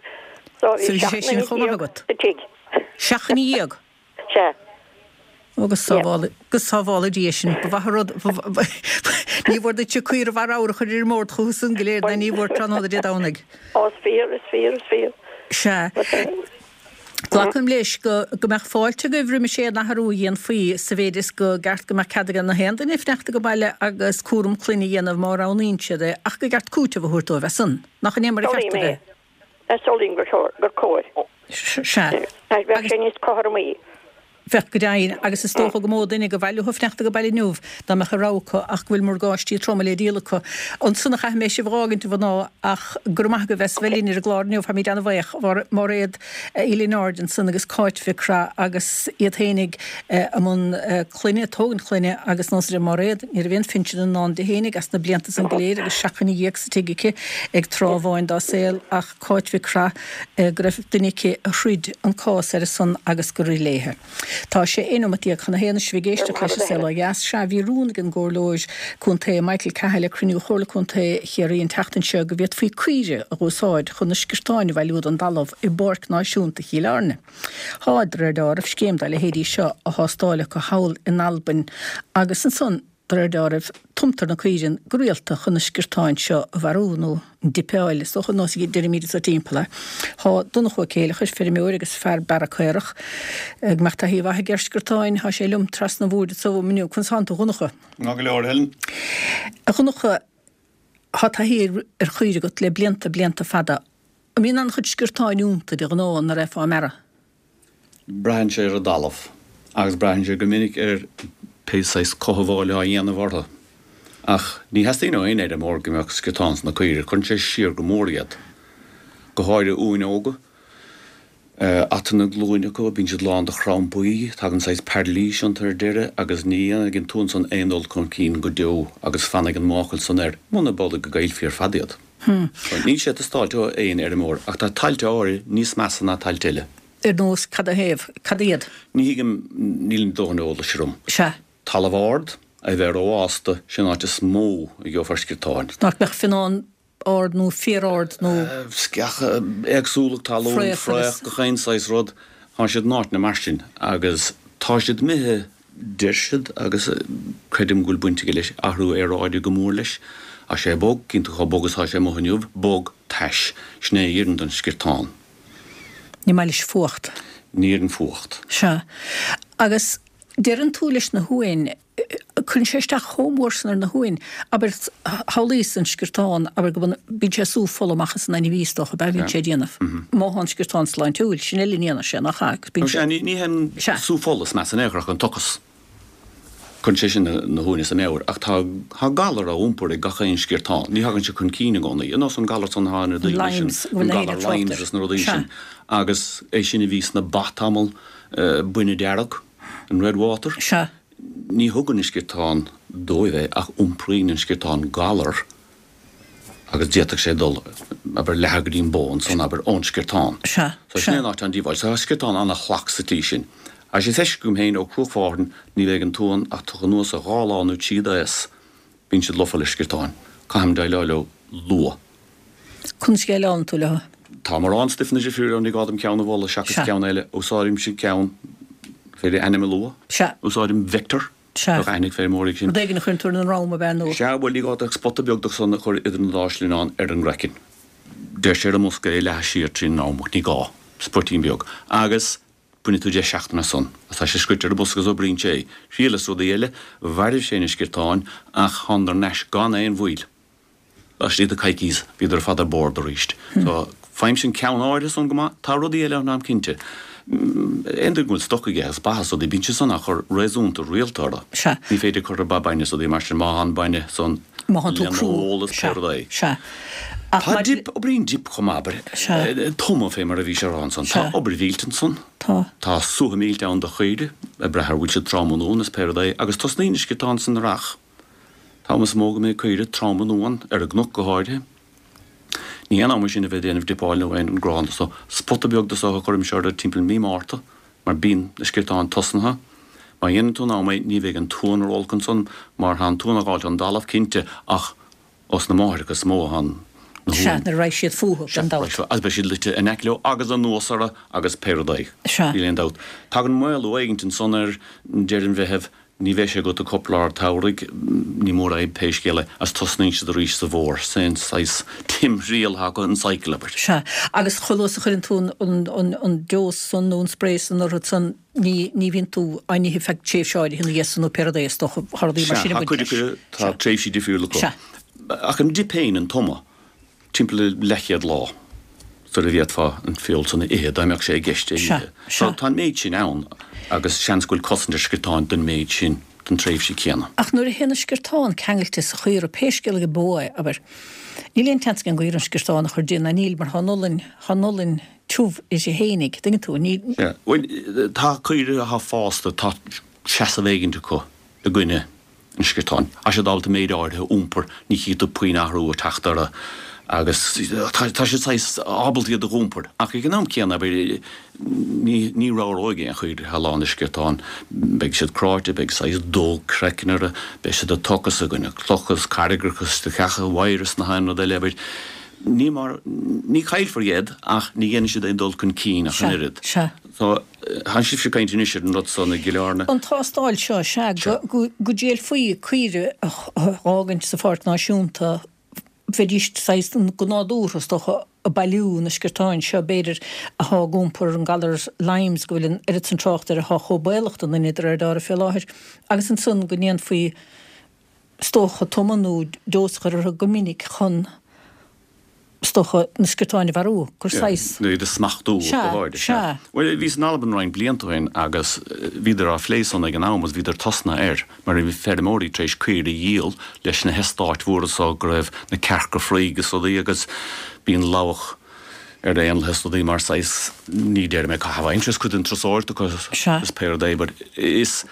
So bhí sé sin chomh maith agat. sa tigh. Seacht nduine dhéag? Sea. Ó, go sábhála, go sábhála Dia sinn. Ba mhaith an rud, ní mhór duitse caora mhaith ramhar a chur ar an mbord chucu san go léir ná ní mhór tráthnóna Dé Domhnaigh. Ó, is fíor, is fíor, is fíor. Sea. Glacaim leis go, go mbeadh fáilte agaibh roimis aon athrú a dhéanfaí sa mhéid is go gceart go mbeadh cead ag na haon duine fanacht ag baile agus cúram clainne a dhéanamh má roghnaíonn siad é ach go gceart cúiteamh a thabhairt dóibh as san. Nach in é mar a cheart a bheith? Samhlaím é. Samhlaím gur chóir. Sea. Bheadh sé níos cothromaí. Bheadh go deimhin, agus is dócha gur mó duine gur mhaith leo fanacht ag baile inniu dá mbeadh a rogha acu ach go bhfuil morgáistí troma le díol acu. Ansan a chaithfidh mé sibh a dh'fhágaint, a mhná, ach go raibh maith agaibh as bheith linn ar an gclár inniu, táimid ana-bhaoch. Máiréad Uí Lionáird ansan agus Cáit Mhic Craith agus iad fhéinig i mbun clainne, tógaint clainne agus nós a deir Máiréad, ní raibh aon phinsean i ndán di fhéinig as na blianta san go léir agus seacht nduine dhéag sa tigh aici ag tráth amháin dá saol ach Cáit Mhic Craith, go raibh duine aici a throid an cás ar a son agus gur rith léithe. Tá sé 11 nóimeat chun a haon is sibh ag éisteacht leis an Saol Ó Dheas. Sea, bhí rún ag an gComhairleoir Contae Michael Cahill ag cruinniú Chomhairle Contae Chiarraí an tseachtain seo go bhféadfaí caoirigh a dh'úsáid chun na sciortáin a bhailiú don dtalamh i bPáirc Náisiúnta Chill Airne. Tá, de réir deáraimh, scéim dá leithéidí seo á thástáil acu thall in Albain agus ansan, De réir deáraimh, tumtar na caoirigh go rialta chun na sciortáin seo a mharú, nó dipeáil, is dócha, nós a deirimid anso timpeall é. Thá Donncha Ó Céileachair, feirmeoir agus fear bearrtha caorach, go mbeadh taithí mhaith aige ar sciortáin, thá sé liom trasna an bhoird anso uaim inniu. Conas thánn tú, a Dhonncha? Maith go leor, a Helen. A Dhonncha, thá taithí ar chaoirigh agat le blianta, blianta fada. An mbíonn an-chuid sciortáin iontu de ghnáth nuair a bheifeá á mbearradh? Braitheann sé ar an dtalamh agus braitheann sé go minic ar pé saghas cothabháil atá á dhéanamh orthu. Ach ní theastaíonn ó aon fheirmeoir go mbeadh sciortáin sna caoirigh, cuireann sé siar go mór iad. Go háirithe uain óga. Ata na glúine acu, bíonn siad lán de chrampaí, tagann saghas pairlís iontu ar deireadh agus ní dhéanfaidh an t-uan san aon dul chun cinn go deo agus fanfaidh an máchail san air, muna amhlaidh go gcaillfí ar fad iad. Níl sé ag teastáilt ó aon fheirmeoir, ach tá tailte áirithe níos measa ná tailte eile. Ar nós cad 'na thaobh? Cad iad? Ní thuigim, níl dóthain eolais orm. Sea. Talamh ard, a bheith rófhásta, sin an áit is mó a gheofar sciortáin. Nach mbeadh fionnán ard nó féar ard nó. Sceacha, éagsúlacht talún, fraoch, gach aon saghas rud, tá siad in áiteanna mar sin agus tá siad imithe Deir siad, agus creidim go bhfuil baint aige leis, athrú aeráide go mór leis. Tá sé bog, cíonn tú chomh bog is atá sé amuigh inniu, bog, tais. Sin é a oireann don sciortán. Ní maith leis fuacht. Ní oireann fuacht. Sea. Agus deireann tú leis na huain, cuireann sé isteach chomh mór san ar na huain, abair, shamhlaíos an sciortán, abair go mbíonn sé ag sú fola amach as an ainmhí is dócha, ab ea, bíonn sé ag déanamh. Má tá an sciortán sláintiúil, sin eile ní dhéanfaidh sé, nach ea? Agus bíonn sé. Ní hé an sú fola is measa in aon chor ach an t-ocras. Cuireann sé sin na huain as a meabhair. Ach tá galar á iompar ag gach aon sciortán. Ní thagann sé chun cinn i gcónaí. Ar nós an galar san atá ar na daoine sin, an galar Lymes agus na rudaí sin. Agus é sin a bhí sna ba tamall, bainne dearg, an red water. Sea. Ní thugann an sciortán dóibh é ach iompraíonn an sciortán galar agus d'fhéadfadh sé dul, abair, leathadh go dtí an bó ansan, abair, ón sciortán. Sea, So sin é an áit an díobháil. So tá sciortán an-shalach sa tslí sin. Agus is feiscithe agam féin ó Chruach Mhárthain, ní bheidh an t-uan ach tugtha anuas a dhá lá nó trí d'aos, bíonn siad lofa le sciortáin. Caithim déileáil leo luath. Conas a dhéileálann tú leo? Tá mórán stuifeanna difriúla ann, ní gá dom ceann a mholadh seachas Sea. ceann eile. Úsáidimse ceann, féidir ainm a lua? Sea. Úsáidim Vector. Sea. Bheadh aithne ag feirmeoirí air sin. Rud éigin a chuireann tú ar an ndroim, ab ea, nó? Sea, bhuel, ní gá duit ach spota beag de san a chur idir an dá shlinneán ar an gcraiceann. Deir sé ar an mbosca é a leathadh siar trín ndroim, ach ní gá. Spuitín beag. Agus bainfidh tú deich seachtaine as san. Agus tá sé scríte ar an bosca agus oibríonn sé. Thriaileas rudaí eile, mhairbh sé na sciortáin, ach thánadar thar n-ais gan aon mhoill. Laistigh de coicís bhíodar ar fad ar bord arís. So, faighimse an ceann áirithe san go maith. Tá rudaí eile ann táim cinnte. Aon duine go bhfuil stoc aige agus ba is rudaí, bíonn sé san á chur réasúnta rialta orthu. Sea. Ní féidir cur ar ba bainne is rudaí mar sin, má tá an bainne san Má thánn tú lena crú. ól is pé Sea. rud é. Sea. Ach Tá maidir. dip, oibríonn dip chomh maith, abair. Sea. Tumadh fé mar a bhí sé a rá ansan. Sea. Tá obair mhillte ansan. Tá. Tá suaitheadh millte ann do chaoirigh, ag brath ar bhfuil siad trom an uan is pé rud é, agus tosnaíonn na sciortáin san earrach. An t-am is mó go mbeidh caoirigh trom in uan, ar an gcnoc go háirithe. Ní hé an am é sin a bheith ag déanamh dipeáil nó aon ghrán de so. Spota beag de so a chuirimse orthu timpeall mí Márta, mar bíonn na sciortáin tosnaithe. Má dhéanann tú in am é, ní bheidh an t-uan ró-olc ansan, mar tá an t-uan á ghabháilt ón dtalamh, cinnte, ach os na máithreacha is mó atá na Sea, huain. nuair a raghaidh siad fúthu, gan dabht. Sea, agus beidh siad luite in aice leo agus anuas orthu agus pé rud é. Sea. Níl aon dabht. Tagann maolú éigint ansan ar deireadh an Mheithimh, Ní bheidh sé agat go cúpla lár tsamhraidh, ní mór é pé scéal é, agus tosnaíonn siad arís sa bhfómhar. Sin saghas timthriall atá acu, an cycle, abair. Sea, agus chomh luath is a chuireann tú an deos san nó an spray san orthu san, ní bhíonn tú á n-ithe feadh tréimhse áirithe ina dhiaidh san nó pé rud é, is dócha, tá rudaí mar Sea, sin ag tá baint cuid leis. acu, tá Sea. tréimhsí difriúla acu. Sea. Ach an dip féin, an tumadh, timpeall le leathchéad lá sula bhféadfá an feoil san a ithe, dá mbeadh sé i gceist é a Sea, ithe. So sea. tá an méid sin ann. agus seans go bhfuil cosaint ar sciortáin don méid sin don tréimhse céanna. Ach nuair a théann an sciortán ceangailte sa chaora, pé scéal é go beo é, abair, níl aon tseans ag an gcaora an sciortán a chur di, ná níl, mar tá an olainn, tá an olainn tiubh uirthi fhéinig, dtuigeann tú, ní. Sea. Bhuel, tá caoirigh atá fásta, tá seasamh éigint acu i gcoinne an sciortáin. Tá siad ábalta méid áirithe a iompar, ní chífidh tú puinn athrú ag teacht orthu agus tá siad saghas ábalta iad a dh'iompar. Ach ag an am céanna, abair, ní, ní ramhróidh aon chaoire atá lán de sciortáin. Beidh siad cráite, beidh saghas dó craicinn orthu, beidh siad ag tocas i gcoinne clocha is carraigreacha is do cheacha wire is nach aon rud eile, abair. Ní mar, ní caillfear iad ach ní dhéanfaidh siad aon dul chun cinn ach an Sea, oiread. sea. So, Tá sibhse ag caint anois ar an rud so i gCill Airne. An tástáil seo, sea, go dtriailfí caoire a dh'fhágaint sa Pháirc Náisiúnta, bheidís saghas go nádúrtha, is dócha, ag bailiú na sciortáin seo, b'fhéidir, athá ag iompar an galar Lymes, go bhfuil an oiread san trácht air, athá chomh baolach don duine de réir dealraimh fé láthair, agus ansan go ndéanfaí, is dócha, tumadh nó dós a chur orthu go minic chun. is dócha, na sciortáin a mharú, gur saghas. Nó iad a smachtú, go Sea, háirithe. sea. Bhuel, bhíos in Albain roinnt blianta ó shin agus bhíodar á phlé san ag an am agus bhíodar tosnaithe air mar bhí feirmeoirí tar éis caoirigh a dhíol leis na heastáit mhóra so go raibh na cearca fraoigh is rudaí agus bíonn lobhadh ar éanlaithe is rudaí mar saghas, ní déarfaidh mé caitheamh aimsire, is cuid den turasóireacht acu Sea. is pé rud é but is.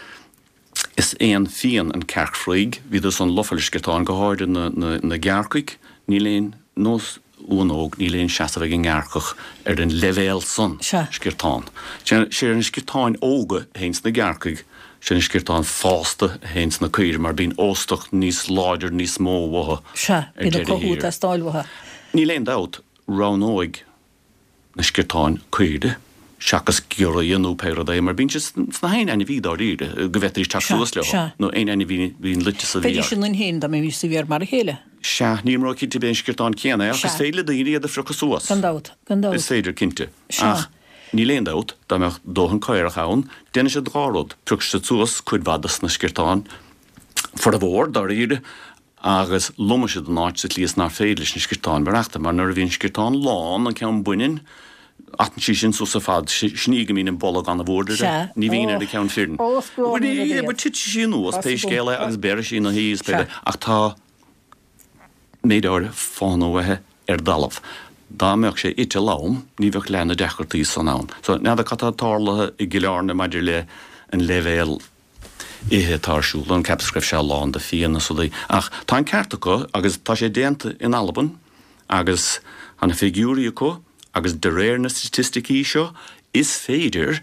Is éan fiáin an cearc fraoigh. Bhíodar san lofa le sciortáin, go háirithe na gearrcaigh. Níl aon nós uan óg, níl aon seasamh ag an ngearrcach ar an leibhéal san sciortán. Sé na sciortáin óga a théann sna gearrcaigh, sé na sciortáin fásta a théann sna caoirigh mar bíonn óstach níos láidir, níos mó uathu Sea, ar bíonn an deireadh cothú ag thiar. teastáil uathu. Níl aon dabht, roghnóidh na sciortáin caoirigh seachas giorria nó pé rud é, mar bíonn siad sna haon ainmhí dáiríre go bhféadfaidís teacht Sea, suas leo, sea. nó aon ainmhí a bhíonn luite sa Bheidís bhféar. ionainn féin dá mbeimis sa bhféar mar a chéile. Sea, nílim ró-chinnte ab é an sciortán céanna é, ach is Sea. féidir le daoine iad a phriocadh suas. Gan dabht, gan dabht. Is féidir, cinnte. Sea. Ach níl aon dabht, dá mbeadh dóthain caorach ann, déanfaidh siad dhá rud, piocfaidh siad suas cuid mhaith dos na sciortáin, formhór, dáiríre, agus lomfaidh siad an áit sa tslí is nár féidir leis na sciortáin maireachtáil, mar nuair a bhíonn sciortán lán, an ceann baineann, atann sí sin suas ar fad, sin í go mbíonn an boladh an-mhór uirthi, Sea. ní bhíonn ar an ceann fireann. Ó, is gránna an rud iad. Titfidh sí anuas, pé Tá scéal é, agus béarfaidh sí ina shuí is pé, ach tá méid áirithe fána uaithi ar dtalamh. Dá mbeadh sé ite lom, ní bheadh leath na deacrachtaí san ann. So, n'fheadar cad tá tarlaithe i gCill Airne maidir le an leibhéal ithe atá ar siúl ann, ceapas go raibh sé lán de fianna is rudaí. Ach tá an ceart acu agus tá sé déanta in Albain agus tá na figiúirí acu agus de réir na staitisticí seo is féidir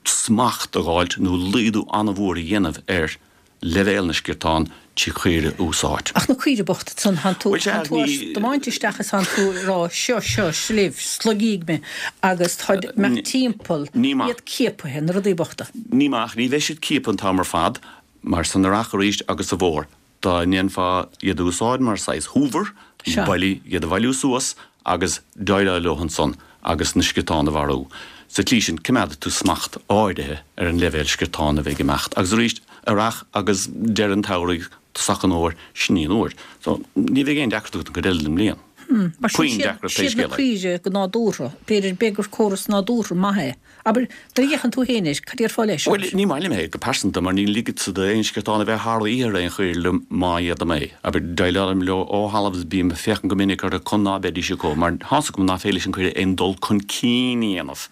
smacht a dh'fháilt nó laghdú an-mhór a dhéanamh ar leibhéal na sciortán trí chaoire a úsáid. Ach na caoire bochta ansan, thánn tú, Bhuel, sea, thánn tú á ní. dtiomáint isteach is thánn tú ag rá, seo, seo, libh, slogaigí mé agus táid imeacht timpeall, Ní maith. iad ciapaithe, na rudaí bochta. Ní maith, ní bheidh siad ciaptha an t-am ar fad, mar san earrach arís agus sa bhfómhar, dá ndéanfá iad a úsáid mar saghas hoover, Sea. bailiú, iad a bhailiú suas agus déileáil leo ansan agus na sciortáin a mharú. Sa tslí sin, coimeádfaidh tú smacht áirithe ar an leibhéal sciortán a bheidh ag imeacht. Agus arís, earrach agus deireadh an tsamhraidh, tosach an fhómhair, sin í an uair. So, ní bheidh aon deacracht agat an chuid eile den mbliain. Mar sin, Puinn deacracht pé siad na scéal é. caoire go nádúrtha, b'fhéidir, b'fhéidir gur córas nádúrtha maith é. Abair, nuair a fhéachann tú féin air, cad déarfá leis? Bhuel, ní maith liom é go pearsanta, mar ní ligfeadsa d'aon sciortán a bheith thar oíche ar aon chaoire liom má fhéadaim é. Abair, déileálaim leo ó thalamh is bím ag féachaint go minic orthu chun ná beidís acu, mar tá's agam ná féidir leis an chaoire aon dul chun cinn a dhéanamh.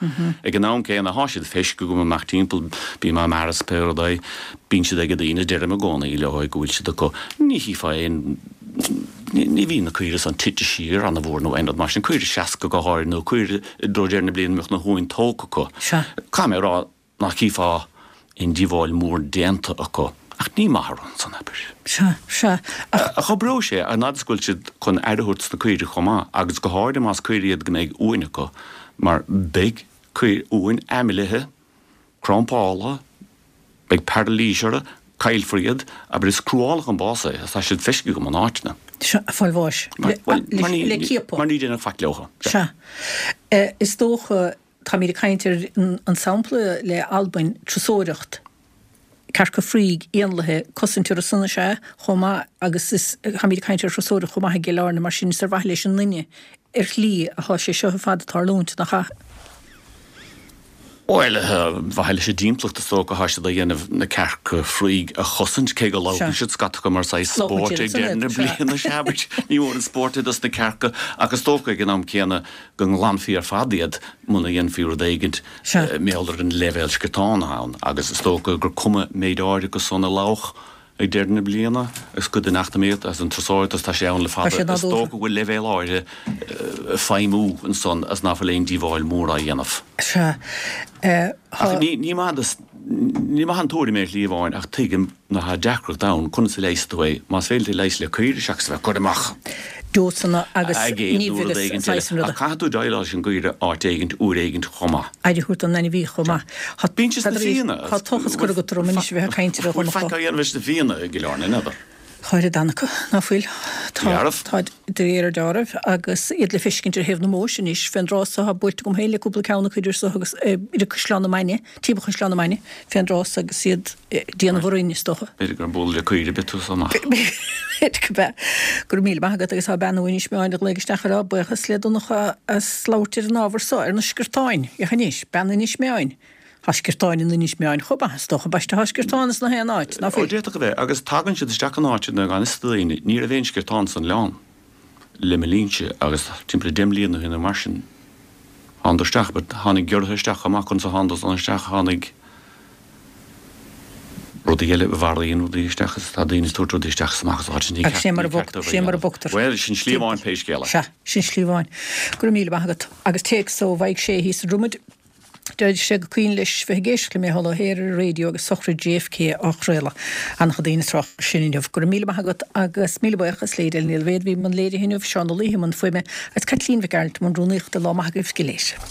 Ag an am céanna, thá siad feiscithe agam amach timpeall, bím á mbearradh is pé rud é. Bíonn siad ag daoine, deirim i gcónaí leo go bhfuil siad acu. Ní chífeá aon, ní bhíonn na caoire san tite siar ana-mhór nó aon rud mar sin, caoire 60 go háirithe nó caoire i dtreo deireadh na bliana a mbeadh na huain tógtha acu. Sea. Caithfidh mé a rá nach gcífeá aon díobháil mhór déanta acu. Ach ní maith an rud san, abair. Sea, sea. Ach. Ach oibreoidh sé, an fhad is go bhfuil siad chun aire a thabhairt dos na caoirigh chomh maith, agus go háirithe más caoirigh iad go mbeidh uain acu, mar beidh caoire, uain aimlithe, crampála, beidh pairilís orthu, caillfear iad, abair is cruálach an bás é, tá siad feiscithe agam in áiteanna. Sea, ag fáil bháis. Bhuel, Le ciapadh. Mar ní déanadh faic leo. Sea. Is dócha, táimid ag caint ar an sampla le Albain, turasóireacht, cearca fraoigh, éanlaithe, cosaint orthu san is ea chomh maith agus is, táimid ag caint ar thurasóireacht chomh maith i gCill Airne, mar sin is ar mhaithe leis an nduine ar shlí athá sé seo ar fad ag tarlúint, nach ea? Bhuel, ar mhaithe leis an dtimpeallacht is dócha atá siad á dhéanamh na cearca fraoigh a chosaint, cé go lobhann siad scata acu mar saghas spóirt ag deireadh na bliana, sea, but ní mór an spórt é dos na cearca ach is dócha ag an am céanna go nglanfaí ar fad iad muna dhéanfaí rud éigint mar gheall ar an leibhéal sciotán atá ann agus is dócha gur cuma méid áirithe acu san a lobhadh Ag deireadh na bliana, is cuid den eacnamaíocht agus den turasóireacht agus tá sé ann le fada, is dócha go bhfuil leibhéal áirithe feidhmiú ansan agus ná fuil aon díobháil mhór á dhéanamh. Sea. Ach ní maith ní maith an tuairim é ar shlí amháin ach tuigim ná tá deacracht ann conas a leigheasfaidh tú é, más féidir leat leigheas le caoire seachas a bheith ag cur amach Dósanna agus aigéad nó rud éigin eile. Ach caithfidh tú déileáil leis an gcaoire áit éigint uair éigint chomh maith. Aire a thabhairt don ainmhí chomh maith. Tá Bíonn siad sna Fianna. Tá tochas curtha agat orm anois a bheith ag caint ar a Bhfuil faic á dhéanamh leis na Fianna i gCill Airne, n'fheadar? Tá oiread acu, ná fuil? Dearbh. Tá de réir dealraimh agus iad le feiscint ar thaobh na Móise anois. Fén dtráth so tá buailte agam féin le cúpla ceann acu idir so agus idir Caisleán na Mainge, timpeall Chaisleán na Mainge, fén dtráth so agus iad ag déanamh orainn, is dócha. B'fhéidir gur bualadh le caoire ar bith tú so amach. B'fhéidir go b'ea. Go raibh míle maith agat agus tá bean ó Inis Meáin a ghlaoigh isteach ag rá buíochas le Donncha as labhairt ar an ábhar so, ar na sciortáin. Féach anois, bean Inis Meáin. Tá sciortáin in Inis Meáin chomh maith, is dócha. Ambaiste, tá sciortáin ins na haon áit, ná Ó, fuil? d'fhéadfadh a bheith, agus tagann siad isteach in áiteanna gan fhios do dhaoine. Ní raibh aon sciortán san oileán le mo linnse agus timpeall le deich mbliana ó shin nó mar sin, thánadar isteach, but tháinig giorraithe isteach chomh maith, conas a thánadar san isteach, tháinig rudaí eile a mharaíonn rudaí isteach is tá daoine ag tabhairt rudaí isteach is amach as áit ní Agus sé mar a ceart ní ceart sé mar a bhogtar. Bhuel, sin slí amháin pé scéal é. Sea, sin slí amháin. Go raibh míle maith agat. Agus téacs ó Mhaidhc Sé thíos i Dromaid. Deir sé gur cuimhin leis bheith ag éisteacht le Micheál Ó hEithir ar an raidió agus sochraid JFK á chraoladh. An-chuid daoine ag trácht air sin inniu. Go raibh míle maith agat agus míle buíochas le Edel Ní Ailbhéad a bhí i mbun léirithe inniu, Seán Ó Laoithe i mbun fuaime agus Caitlín Mhic Gearailt i mbun rúnaíochta. Lá maith agaibh go léir.